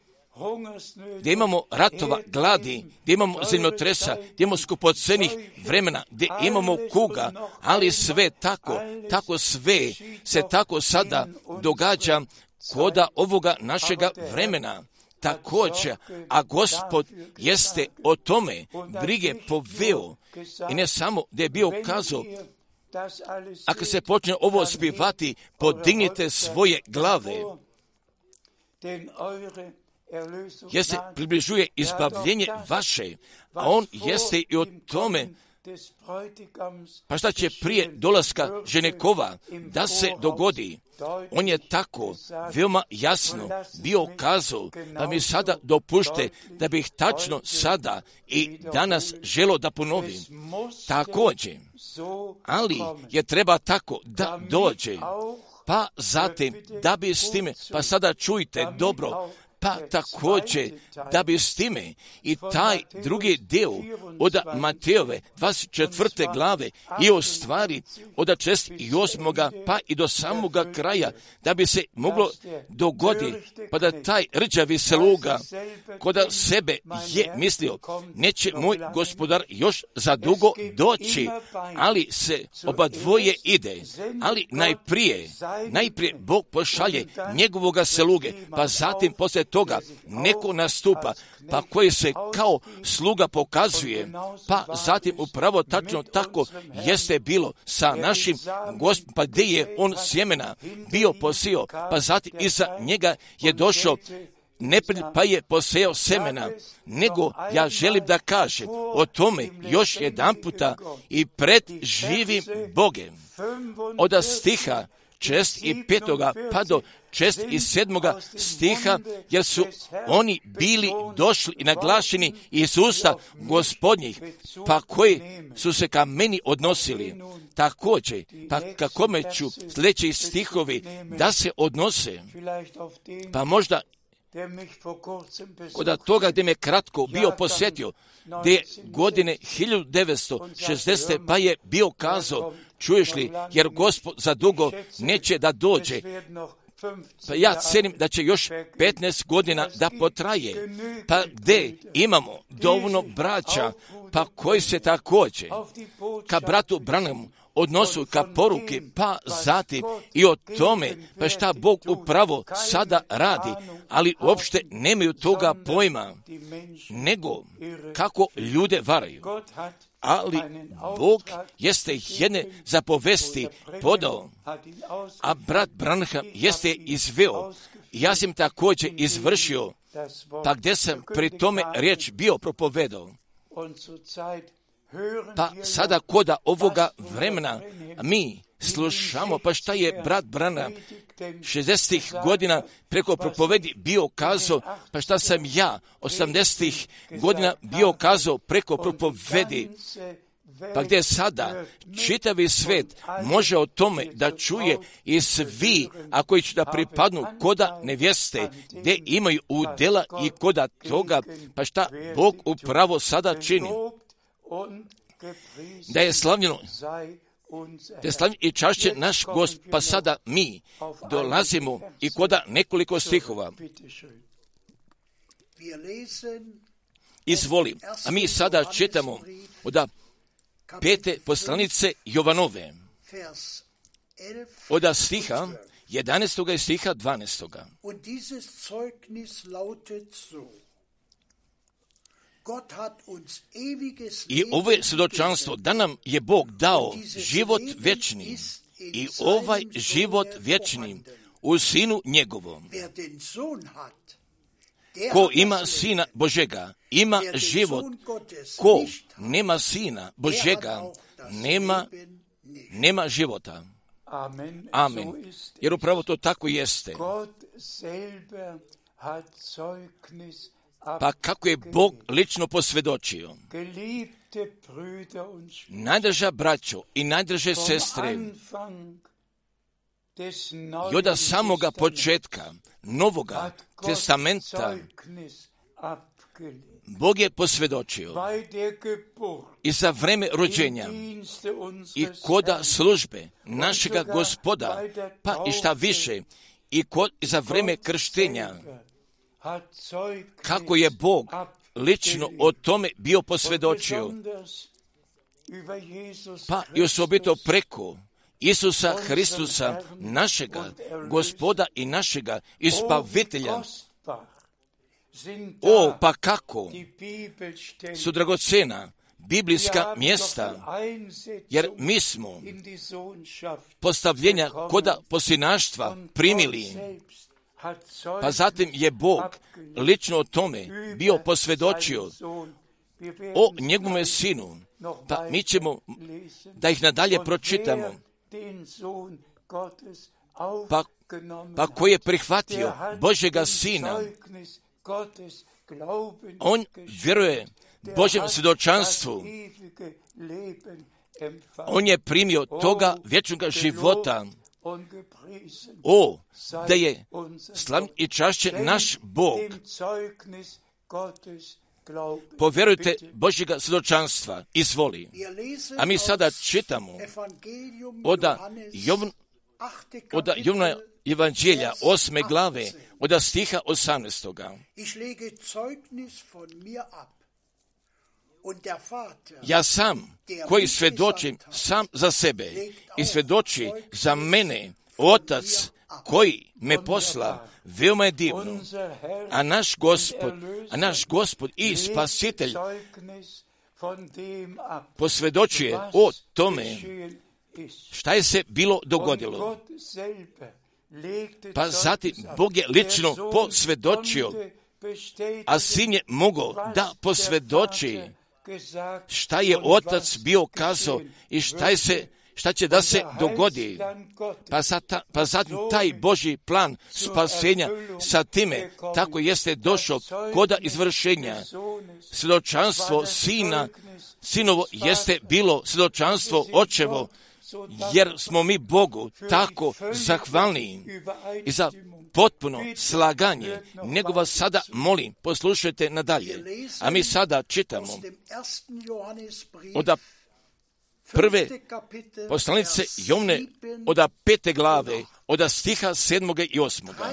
gdje imamo ratova, gladi, gdje imamo zemljotresa, gdje imamo skupocenih vremena, gdje imamo kuga, ali sve tako, tako sve se tako sada događa koda ovoga našega vremena. Također, a Gospod jeste o tome brige poveo i ne samo da je bio kazao, ako se počne ovo spivati, podignite svoje glave, jer se približuje izbavljenje vaše, a on jeste i o tome, pa šta će prije dolaska ženekova da se dogodi. On je tako veoma jasno bio kazao, pa mi sada dopušte da bih tačno sada i danas želo da ponovim. Također, ali je treba tako da dođe, pa zatim da bi s time, pa sada čujte dobro, pa također da bi s time i taj drugi dio od Matejove dvadeset četvrte glave i o stvari od šezdeset osmoga pa i do samoga kraja, da bi se moglo dogoditi, pa da taj rđavi sluga koda sebe je mislio, neće moj gospodar još za dugo doći, ali se oba dvoje ide, ali najprije, najprije Bog pošalje njegovoga sluge, pa zatim poslije toga neko nastupa, pa koji se kao sluga pokazuje, pa zatim upravo tačno tako jeste bilo sa našim Gospodom, pa gdje je on sjemena bio posio, pa zatim iza njega je došao neprijatelj pa je posejao semena, nego ja želim da kažem o tome još jedan puta i pred živim Bogem. Od stiha šezdeset petoga pa do šezdeset sedmoga stiha, jer su oni bili došli i naglašeni iz usta Gospodnjih, pa koji su se ka meni odnosili. Također, pa kakome ću sljedeći stihovi da se odnose, pa možda kod toga gdje me kratko bio posjetio, gdje je godine hiljadu devetsto šezdesete pa je bio kazao, čuješ li, jer Gospod za dugo neće da dođe, Pa ja cenim da će još petnaest godina da potraje. Pa gdje imamo dovoljno braća, pa koji se također ka bratu Branhamu odnosu ka poruki, pa zatim i o tome, pa šta Bog upravo sada radi, ali uopšte nemaju toga pojma, nego kako ljude varaju. Ali Bog jeste jedne zapovesti podao, a brat Branham jeste izveo. Ja sam također izvršio, pa gdje sam pri tome riječ bio propovedao. Pa sada koda ovoga vremena mi slušamo, pa šta je brat Branham šezdesetih godina preko propovedi bio kazao, pa šta sam ja osamdesetih godina bio kazao preko propovedi, pa gdje sada čitavi svet može o tome da čuje i svi, a koji će da pripadnu koda nevjeste, gdje imaju udjela i koda toga, pa šta Bog upravo sada čini. Da je slavljeno, da je slavljeno i čašće naš Gospod, pa sada mi dolazimo i koda nekoliko stihova. Izvoli, a mi sada čitamo od pete poslanice Jovanove, od stiha jedanaestoga i stiha dvanaestoga. I ovo je svjedočanstvo da nam je Bog dao život vječni i ovaj život vječni u Sinu njegovom. Ko ima Sina Božega, ima život. Ko nema Sina Božega, nema, nema života. Amen. Jer upravo to tako jeste. Pa kako je Bog lično posvjedočio. Najdraža braćo i najdraže sestre, i od samoga početka Novoga testamenta Bog je posvjedočio i za vreme rođenja i koda službe našega Gospoda, pa i šta više, i, kod, i za vreme krštenja, kako je Bog lično o tome bio posvjedočio, pa i osobito preko Isusa Hristusa, našega Gospoda i našega Ispavitelja. O, pa kako su dragocena biblijska mjesta, jer mi smo postavljenja koda posinaštva primili, pa zatim je Bog lično o tome bio posvjedočio o njegovome Sinu, pa mi ćemo da ih nadalje pročitamo. Pa, pa ko je prihvatio Božjega Sina, on vjeruje Božjem svjedočanstvu, on je primio toga vječnog života. O, da je slav i čašće naš Bog. Povjerujte Božjega svjedočanstva, izvoli. A mi sada čitamo od Jovna, od Jovna Evanđelja, osme glave, od stiha osamnaestoga. Ja sam, koji svjedočim sam za sebe i svjedoči za mene Otac koji me posla, veoma je divno. A naš Gospod, a naš Gospod i Spasitelj posvjedočuje o tome šta je se bilo dogodilo. Pa zatim Bog je lično posvjedočio, a Sin je mogao da posvjedoči šta je Otac bio kazao i šta je se šta će da se dogodi. Pa, zata, pa zatim taj Božji plan spasenja sa time tako jeste došao koda izvršenja. Svjedočanstvo Sina, Sinovo jeste bilo svjedočanstvo Očevo, jer smo mi Bogu tako zahvalni i za potpuno slaganje. Nego vas sada molim, poslušajte nadalje. A mi sada čitamo od prve poslanice Jovne oda pete glave, oda stiha sedmoga i osmoga.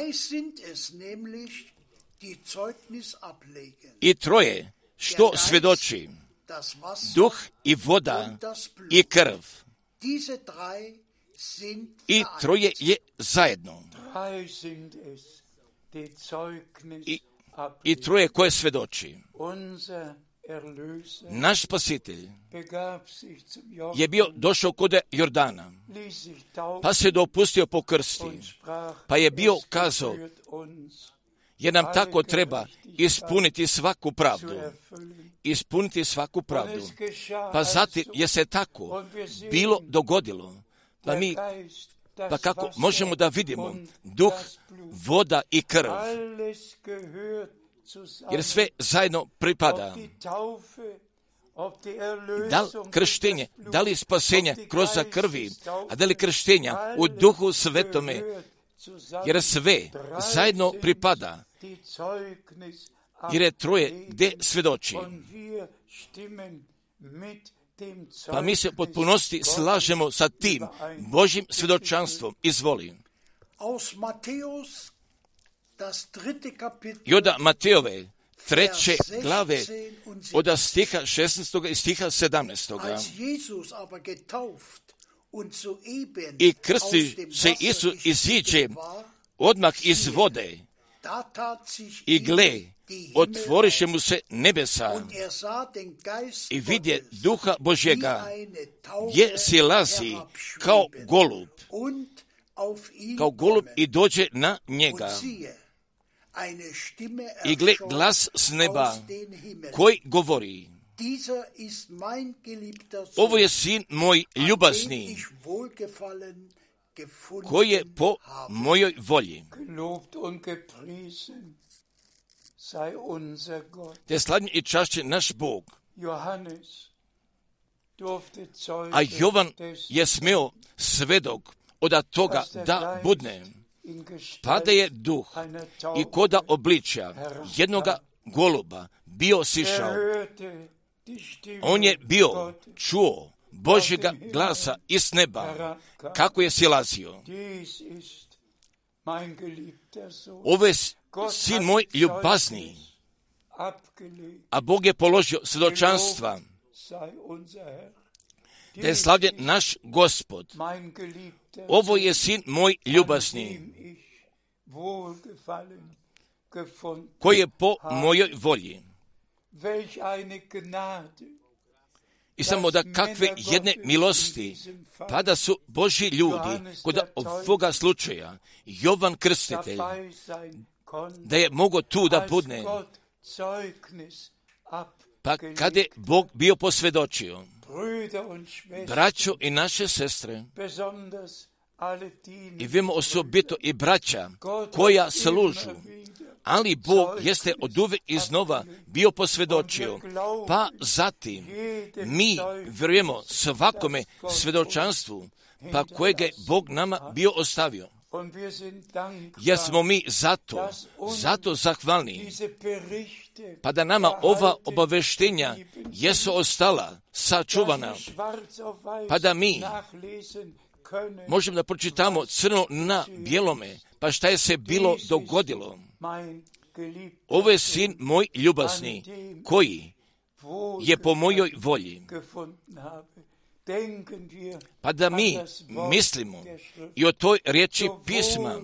I troje što svjedoči, duh i voda i krv. I troje je zajedno. I, i troje koje svjedoči. Naš spasitelj je bio došao kod Jordana, pa se dopustio pokrsti, pa je bio kazao, jer nam tako treba ispuniti svaku pravdu. Ispuniti svaku pravdu. Pa zatim je se tako bilo dogodilo, pa mi, pa kako možemo da vidimo duh, voda i krv, jer sve zajedno pripada. Da li krštenje, da li spasenje kroz krvi, a da li krštenja u duhu svetome, jer sve zajedno pripada, jer je troje gdje svjedoči. Pa mi se u potpunosti slažemo sa tim Božjim svjedočanstvom. Izvolim. I od Matejove treće glave od stiha šesnaestog i stiha sedamnaestog. I krsti se Isus iziđe odmah iz vode i gle, otvoriše mu se nebesa i vidje duha Božjega, gdje silazi kao golub, kao golub i dođe na njega. I gle, glas s neba koji govori, ovo je sin moj ljubazni, koji je po mojoj volji. Te slavljen i čašćen naš Bog. A Jovan je smeo svedok od toga da budne. Pada je duh i koda obličja jednoga goluba bio sišao. On je bio čuo Božjega glasa iz neba, kako je silazio. Ovo je sin moj ljubazni, a Bog je položio svjedočanstva, da je slavljen naš Gospod. Ovo je sin moj ljubazni, koji je po mojoj volji. I samo da kakve jedne milosti, pa da su Božji ljudi kod ovoga slučaja, Jovan Krstitelj, da je mogao tu da budne, pa kada je Bog bio posvjedočio, braćo i naše sestre, i vimo osobito i braća koja služu, ali Bog jeste od uvek iznova bio posvjedočio, pa zatim mi vjerujemo svakome svjedočanstvu, pa kojeg je Bog nama bio ostavio. Jer smo mi zato, zato zahvalni, pa da nama ova obaveštenja jesu ostala sačuvana, pa da mi možemo da pročitamo crno na bijelome, pa šta je se bilo dogodilo. Ovo je sin moj ljubazni, koji je po mojoj volji. Pa da mi mislimo i o toj riječi pisma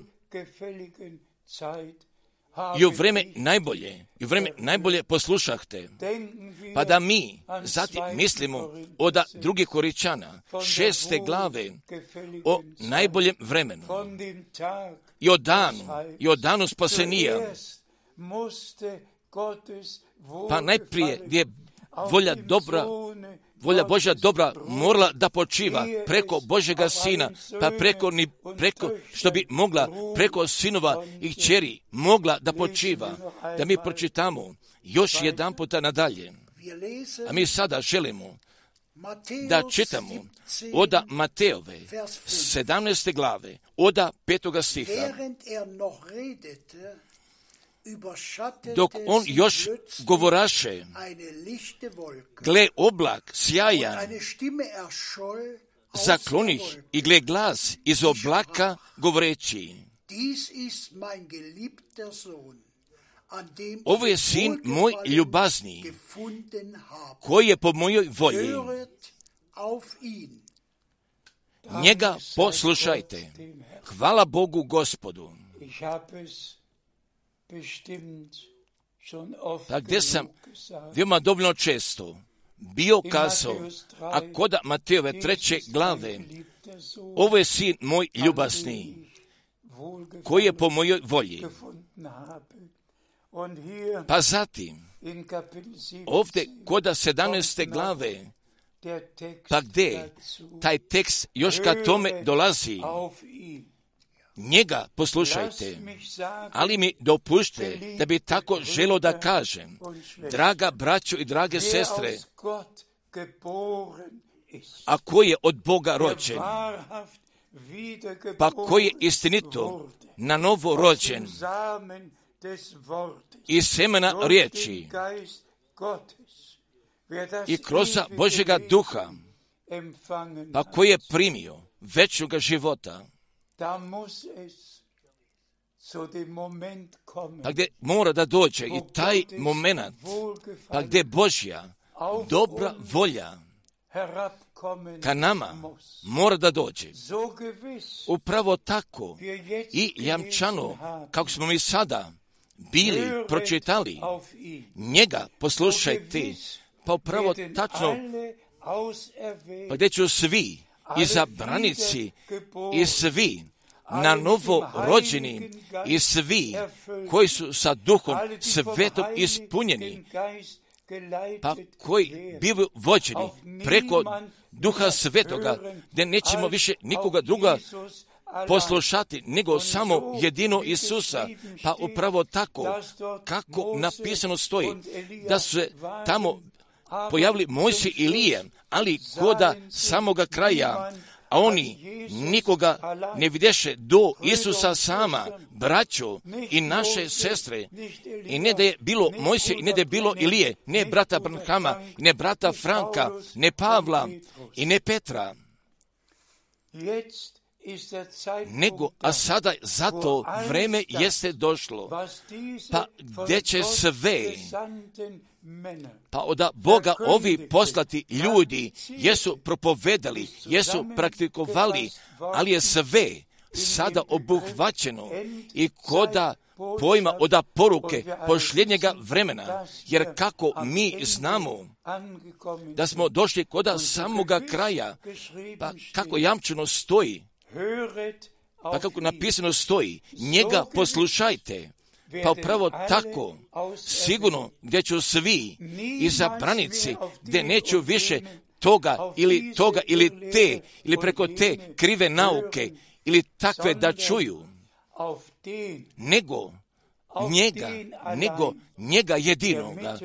i u vreme najbolje, i u vreme najbolje poslušahte, pa da mi zatim mislimo od drugih Koričana, šeste glave, o najboljem vremenu i o danu, i o danu spasenija. Pa najprije gdje je volja dobra, volja Božja dobra morala da počiva preko Božjega Sina, pa preko, ni, preko što bi mogla, preko sinova i kćeri mogla da počiva. Da mi pročitamo još jedan puta nadalje. A mi sada želimo da čitamo oda Matejove sedamnaeste glave, oda petoga stiha. dok on još govoraše, gle oblak sjajan, zaklonih i gle glas iz oblaka govoreći, ovo je sin moj ljubazni, koji je po mojoj volji. Njega poslušajte. Hvala Bogu Gospodu. Pa gdje sam veoma dovoljno često bio kazao, a kod Matejove treće glave, ovo je sin moj ljubasni, koji je po mojoj volji. Pa zatim, ovdje kod sedamnaeste glave, pa gdje taj tekst još ka tome dolazi, njega poslušajte, ali mi dopušte da bi tako želo da kažem, draga braćo i drage sestre, a koji je od Boga rođen, pa koji je istinito na novo rođen iz semena riječi i kroz Božjega duha, pa koji je primio večnoga života, pa gdje mora da dođe i taj moment, pa gdje Božja dobra volja ka nama mora da dođe. Upravo tako i jamčano, kako smo mi sada bili pročitali, njega poslušajte, pa upravo tačno, pa gdje ću svi izabranici i svi na novo rođeni i svi koji su sa Duhom Svetom ispunjeni, pa koji bivaju vođeni preko Duha Svetoga, gdje nećemo više nikoga druga poslušati, nego samo jedino Isusa. Pa upravo tako, kako napisano stoji, da su se tamo pojavili Mojsije i Ilija, ali koda samoga kraja, a oni nikoga ne vidješe do Isusa sama, braćo i naše sestre. I ne da je bilo Mojsije i ne da je bilo Ilije, ne brata Branhama, ne brata Franka, ne Pavla i ne Petra. Nego, a sada zato vreme jeste došlo, pa gdje će sve, pa od Boga ovi poslati ljudi, jesu propovedali, jesu praktikovali, ali je sve sada obuhvaćeno i koda pojma od poruke posljednjega vremena, jer kako mi znamo da smo došli koda samoga kraja, pa kako jamčeno stoji, pa kako napisano stoji, njega poslušajte, pa upravo tako, sigurno gdje ću svi izabranici, gdje neću više toga ili toga ili te, ili preko te krive nauke, ili takve da čuju, nego njega, nego njega jedinoga,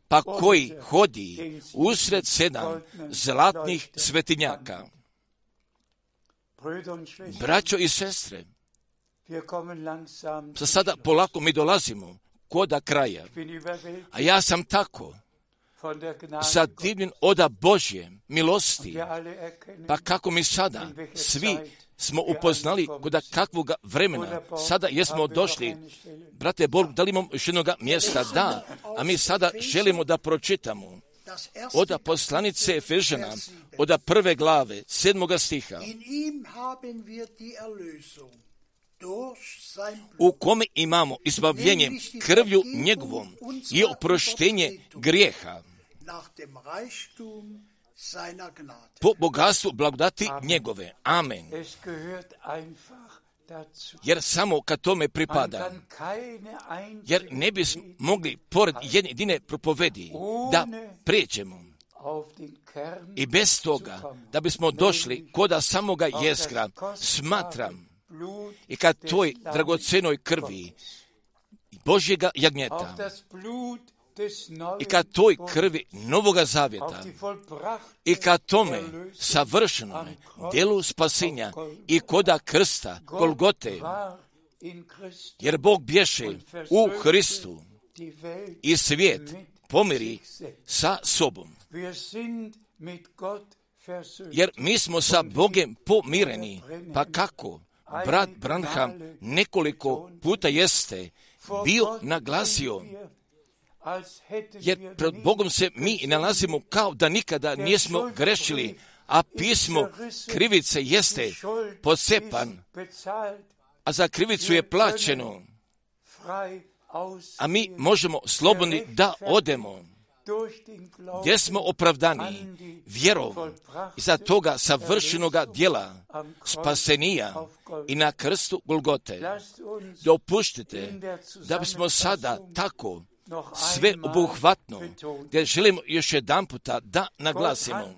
pa koji hodi usred sedam zlatnih svetinjaka. Braćo i sestre, sa sada polako mi dolazimo koda kraja, a ja sam tako zadivljen oda Božje milosti, pa kako mi sada svi smo upoznali koda kakvog vremena, sada jesmo došli. Brate Bog, da li imamo još jednog mjesta? Da, a mi sada želimo da pročitamo oda poslanice Efežana, oda prve glave, sedmoga stiha, u kome imamo izbavljenje krvlju njegovom i oproštenje grijeha po bogatstvu blagodati njegove. Amen. Jer samo kad tome pripada, jer ne bi mogli pored jedne jedine propovedi da prijeđemo i bez toga da bismo došli koda samoga jezgra, smatram, i kad toj dragocenoj krvi Božjega jagnjeta i kad toj krvi Novoga Zavjeta i kad tome savršenome djelu spasenja i koda krsta Golgote, jer Bog bješe u Hristu i svijet pomiri sa sobom. Jer mi smo sa Bogom pomireni, pa kako? Brat Branham nekoliko puta jeste bio naglasio, jer pred Bogom se mi nalazimo kao da nikada nismo grešili, a pismo krivice jeste pocepan, a za krivicu je plaćeno, a mi možemo slobodni da odemo, gdje smo opravdani vjerom iza toga savršenoga djela spasenija i na krstu Golgote. Dopuštite da bismo sada tako sve obuhvatno, gdje želimo još jedan puta da naglasimo.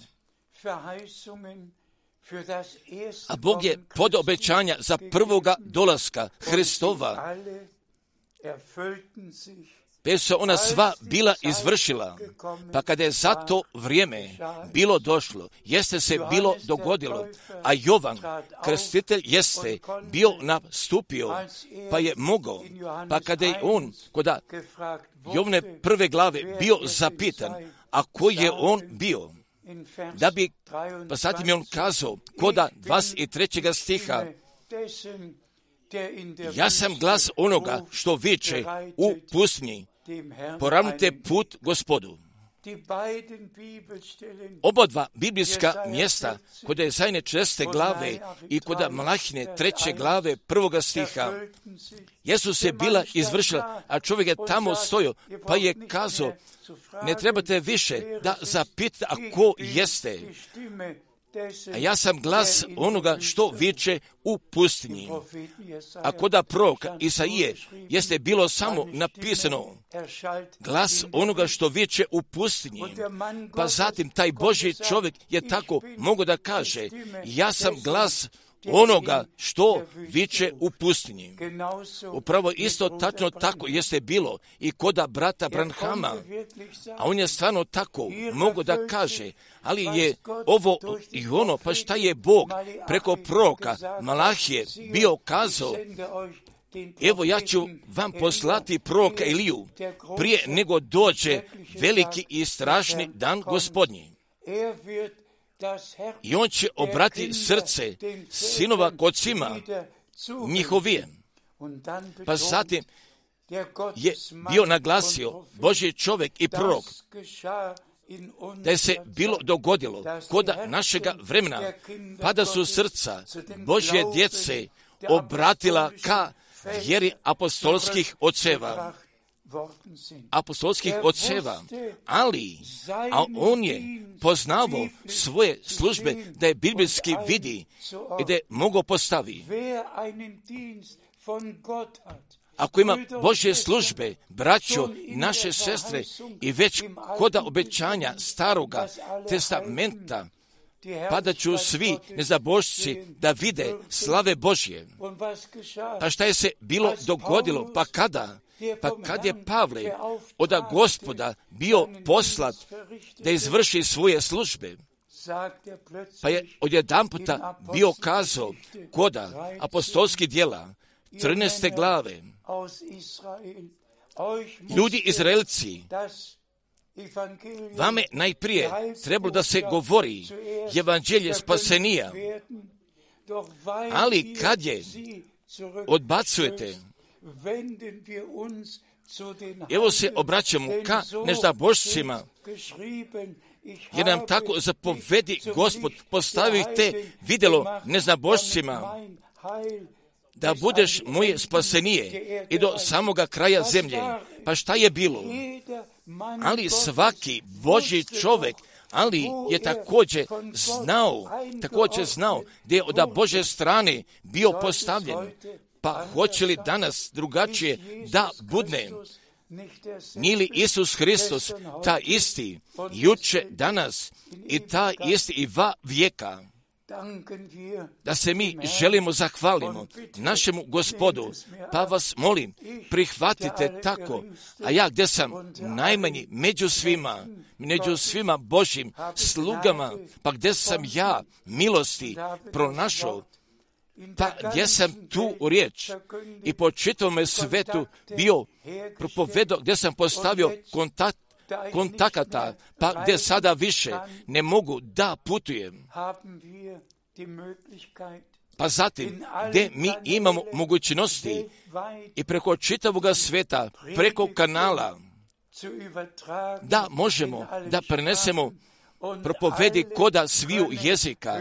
A Bog je pod obećanja za prvoga dolaska Hristova, pe su ona sva bila izvršila, pa kada je za to vrijeme bilo došlo, jeste se bilo dogodilo, a Jovan, krstitelj, jeste bio nastupio, pa je mogao, pa kada je on, koda Jovne prve glave bio zapitan, a koji je on bio, da bi, pa zatim je on kazao, koda dvadeset trećeg stiha, ja sam glas onoga što viče u pustinji, poravnite put Gospodu. Oba dva biblijska mjesta, kod je Ezajine četrnaeste glave i kod Malahine treće glave prvoga stiha, jesu se bila izvršila, a čovjek je tamo stojao, pa je kazao, ne trebate više da zapitate, a ko jeste? A ja sam glas onoga što viče u pustinji. A koda proroka Isaije jeste bilo samo napisano glas onoga što viče u pustinji. Pa zatim taj Božji čovjek je tako mogao da kaže, ja sam glas onoga što viče u pustinji. Upravo isto tačno tako jeste bilo i koda brata Branhama, a on je stvarno tako mogao da kaže, ali je ovo i ono, pa šta je Bog preko proroka Malahije bio kazao, evo ja ću vam poslati proroka Eliju prije nego dođe veliki i strašni dan Gospodnji. I on će obrati srce sinova k ocima njihovije. Pa zatim je bio naglasio Božji čovjek i prorok da je se bilo dogodilo koda našega vremena, pa da su srca Božje djece obratila ka vjeri apostolskih oceva. apostolskih oceva, ali a on je poznavao svoje službe da je biblijski vidi i da je mogao postavi. Ako ima Božje službe, braćo i naše sestre, i već koda obećanja staroga testamenta, pa da ću svi nezabošci da vide slave Božje. Pa šta je se bilo dogodilo? Pa kada? Pa kad je Pavle od Gospoda bio poslat da izvrši svoje službe, pa je odjedanputa bio kazao koda apostolskih djela, trinaeste glave, ljudi Izraelci, vame najprije trebalo da se govori evanđelje spasenija, ali kad je odbacujete, evo se obraćamo ka neždabošcima, jer nam tako zapovedi Gospod, postavite vidjelo neznabošcima, da budeš moje spasenije i do samoga kraja zemlje. Pa šta je bilo? Ali svaki Božji čovjek, ali je također znao, također znao da je od Božje strane bio postavljen. Pa hoće li danas drugačije da budne? Nije li Isus Hristos ta isti, juče, danas i ta isti i va vijeka? Da se mi želimo zahvalimo našemu Gospodu, pa vas molim, prihvatite tako, a ja gdje sam najmanji među svima, među svima Božjim slugama, pa gdje sam ja milosti pronašao, Pa gdje sam tu riječ i po čitavome svetu bio propovedao, gdje sam postavio kontakt, kontakata, pa gdje sada više ne mogu da putujem. Pa zatim, gdje mi imamo mogućnosti i preko čitavoga sveta, preko kanala, da možemo da prenesemo propovedi koda sviju jezika,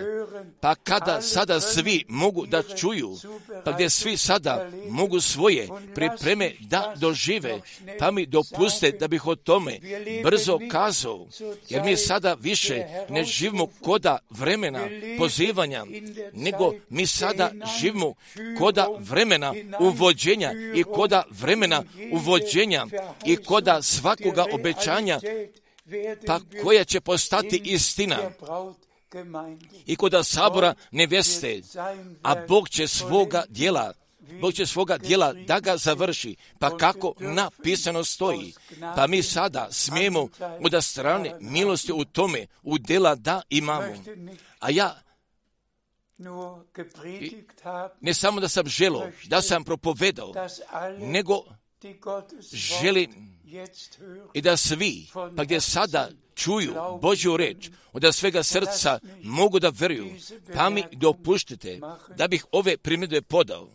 pa kada sada svi mogu da čuju, pa gdje svi sada mogu svoje pripreme da dožive, pa mi dopuste da bih o tome brzo kazao, jer mi sada više ne živimo koda vremena pozivanja, nego mi sada živimo koda vremena uvođenja i koda vremena uvođenja i koda svakoga obećanja, pa koja će postati istina i koda sabora neveste, a Bog će svoga djela, Bog će svoga djela da ga završi, pa kako napisano stoji, pa mi sada smijemo od strane milosti u tome u djela da imamo. A ja ne samo da sam želo, da sam propovedao, nego želim i da svi, pa gdje sada čuju Božju reč, od svega srca mogu da veruju, pa mi dopuštite da bih ove primjedbe podao.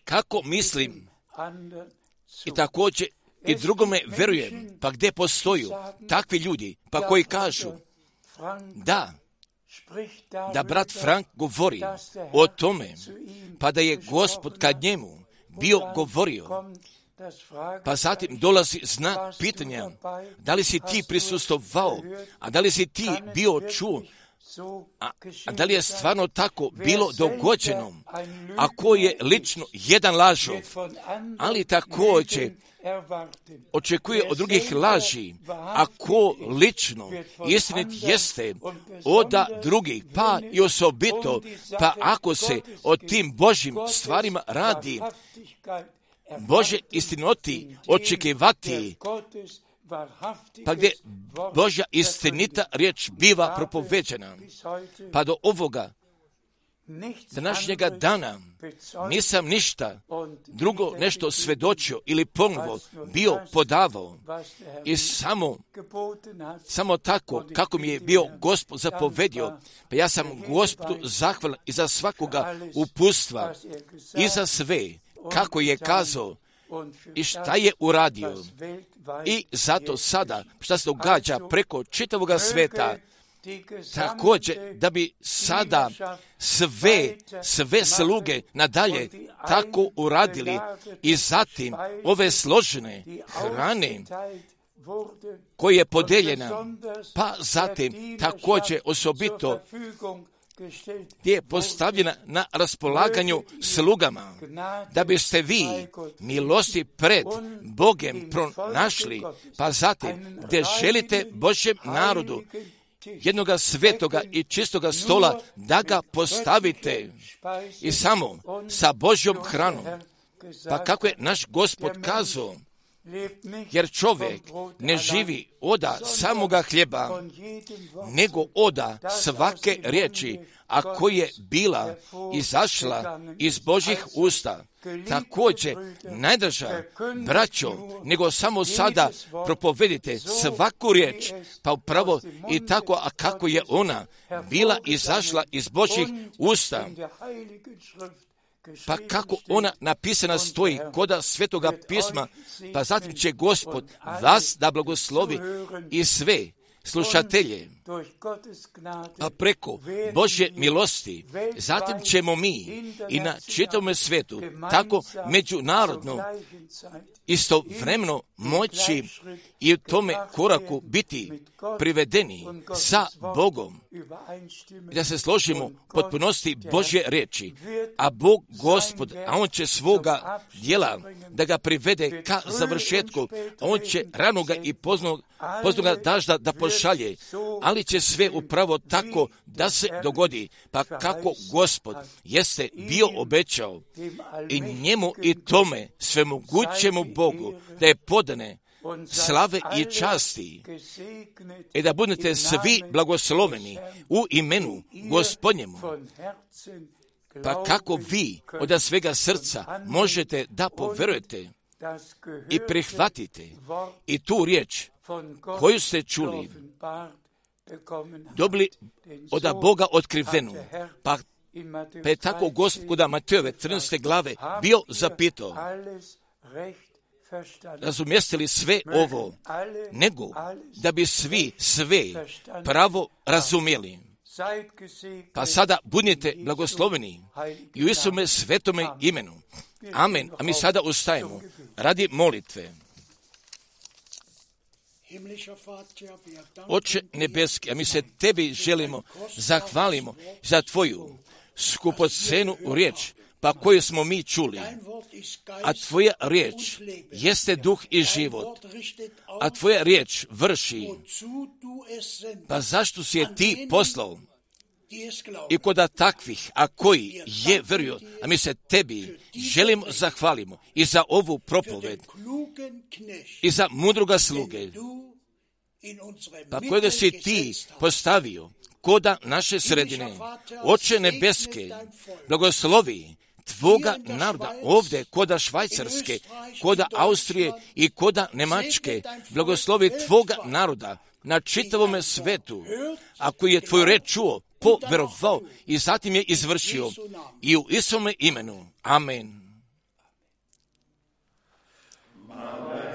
Kako mislim i također i drugome verujem, pa gdje postoju takvi ljudi, pa koji kažu da, da brat Frank govori o tome, pa da je Gospod kad njemu bio govorio, pa zatim dolazi znak pitanja, da li si ti prisustvovao, a da li si ti bio čuo, a, a da li je stvarno tako bilo dogođeno, a ko je lično jedan lažov, ali također očekuje od drugih laži, a ko lično istinit jeste oda drugih, pa i osobito, pa ako se o tim Božjim stvarima radi, Bože istinoti očekivati, pa gdje Božja istinita riječ biva propoveđena, pa do ovoga današnjega dana nisam ništa drugo nešto svedočio ili ponovo bio podavao i samo, samo tako kako mi je bio Gospod zapovedio, pa ja sam Gospodu zahvalan i za svakoga uputstva i za sve kako je kazao i šta je uradio. I zato sada šta se događa preko čitavoga sveta, također da bi sada sve, sve sluge nadalje tako uradili i zatim ove složene hrane koja je podeljena, pa zatim također osobito je postavljena na raspolaganju slugama, da biste vi milosti pred Bogem pronašli, pa zatim gdje želite Božjem narodu jednoga svetoga i čistoga stola da ga postavite i samo sa Božjom hranom. Pa kako je naš Gospod kazao, jer čovjek ne živi oda samoga hljeba, nego oda svake riječi, a koja je bila izašla iz Božjih usta. Također, najdraža, braćo, nego samo sada propovedite svaku riječ, pa upravo i tako, a kako je ona bila izašla iz Božjih usta, pa kako ona napisana stoji koda Svetoga pisma, pa zatim će Gospod vas da blagoslovi i sve slušatelje, a preko Božje milosti, zatim ćemo mi i na čitavom svijetu tako međunarodno istovremeno moći i u tome koraku biti privedeni sa Bogom, da se složimo potpunosti Božje reči, a Bog Gospod, a On će svoga djela da ga privede ka završetku, On će ranoga i poznog, poznoga dažda da pošalje, ali će sve upravo tako da se dogodi, pa kako Gospod jeste bio obećao i njemu i tome svemogućemu Bogu da je podane slave i časti i da budete svi blagosloveni u imenu Gospodnjemu. Pa kako vi od svega srca možete da poverujete i prihvatite i tu riječ koju ste čuli, dobili od Boga otkrivenu, pa Pa je tako Gospoda Matejove trinaeste glave bio zapitao, razumijeste li sve ovo, nego da bi svi sve pravo razumjeli. Pa sada budite blagosloveni i u Isume svetome imenu. Amen. A mi sada ustajemo radi molitve. Oče nebeski, a mi se tebi želimo, zahvalimo za tvoju skupocenu riječ, pa koju smo mi čuli. A tvoja riječ jeste duh i život, a tvoja riječ vrši. Pa zašto si je ti poslao? I koda takvih, a koji je vjeruju, a mi se tebi želimo zahvalimo i za ovu propoved i za mudroga sluge, pa kojega si ti postavio koda naše sredine. Oče nebeske, blagoslovi tvoga naroda ovdje, koda Švajcarske, koda Austrije i koda Njemačke, blagoslovi tvoga naroda na čitavome svetu, a koji je tvoju reč čuo, poverovao i zatim je izvršio, i u Isume imenu. Amen. Amen.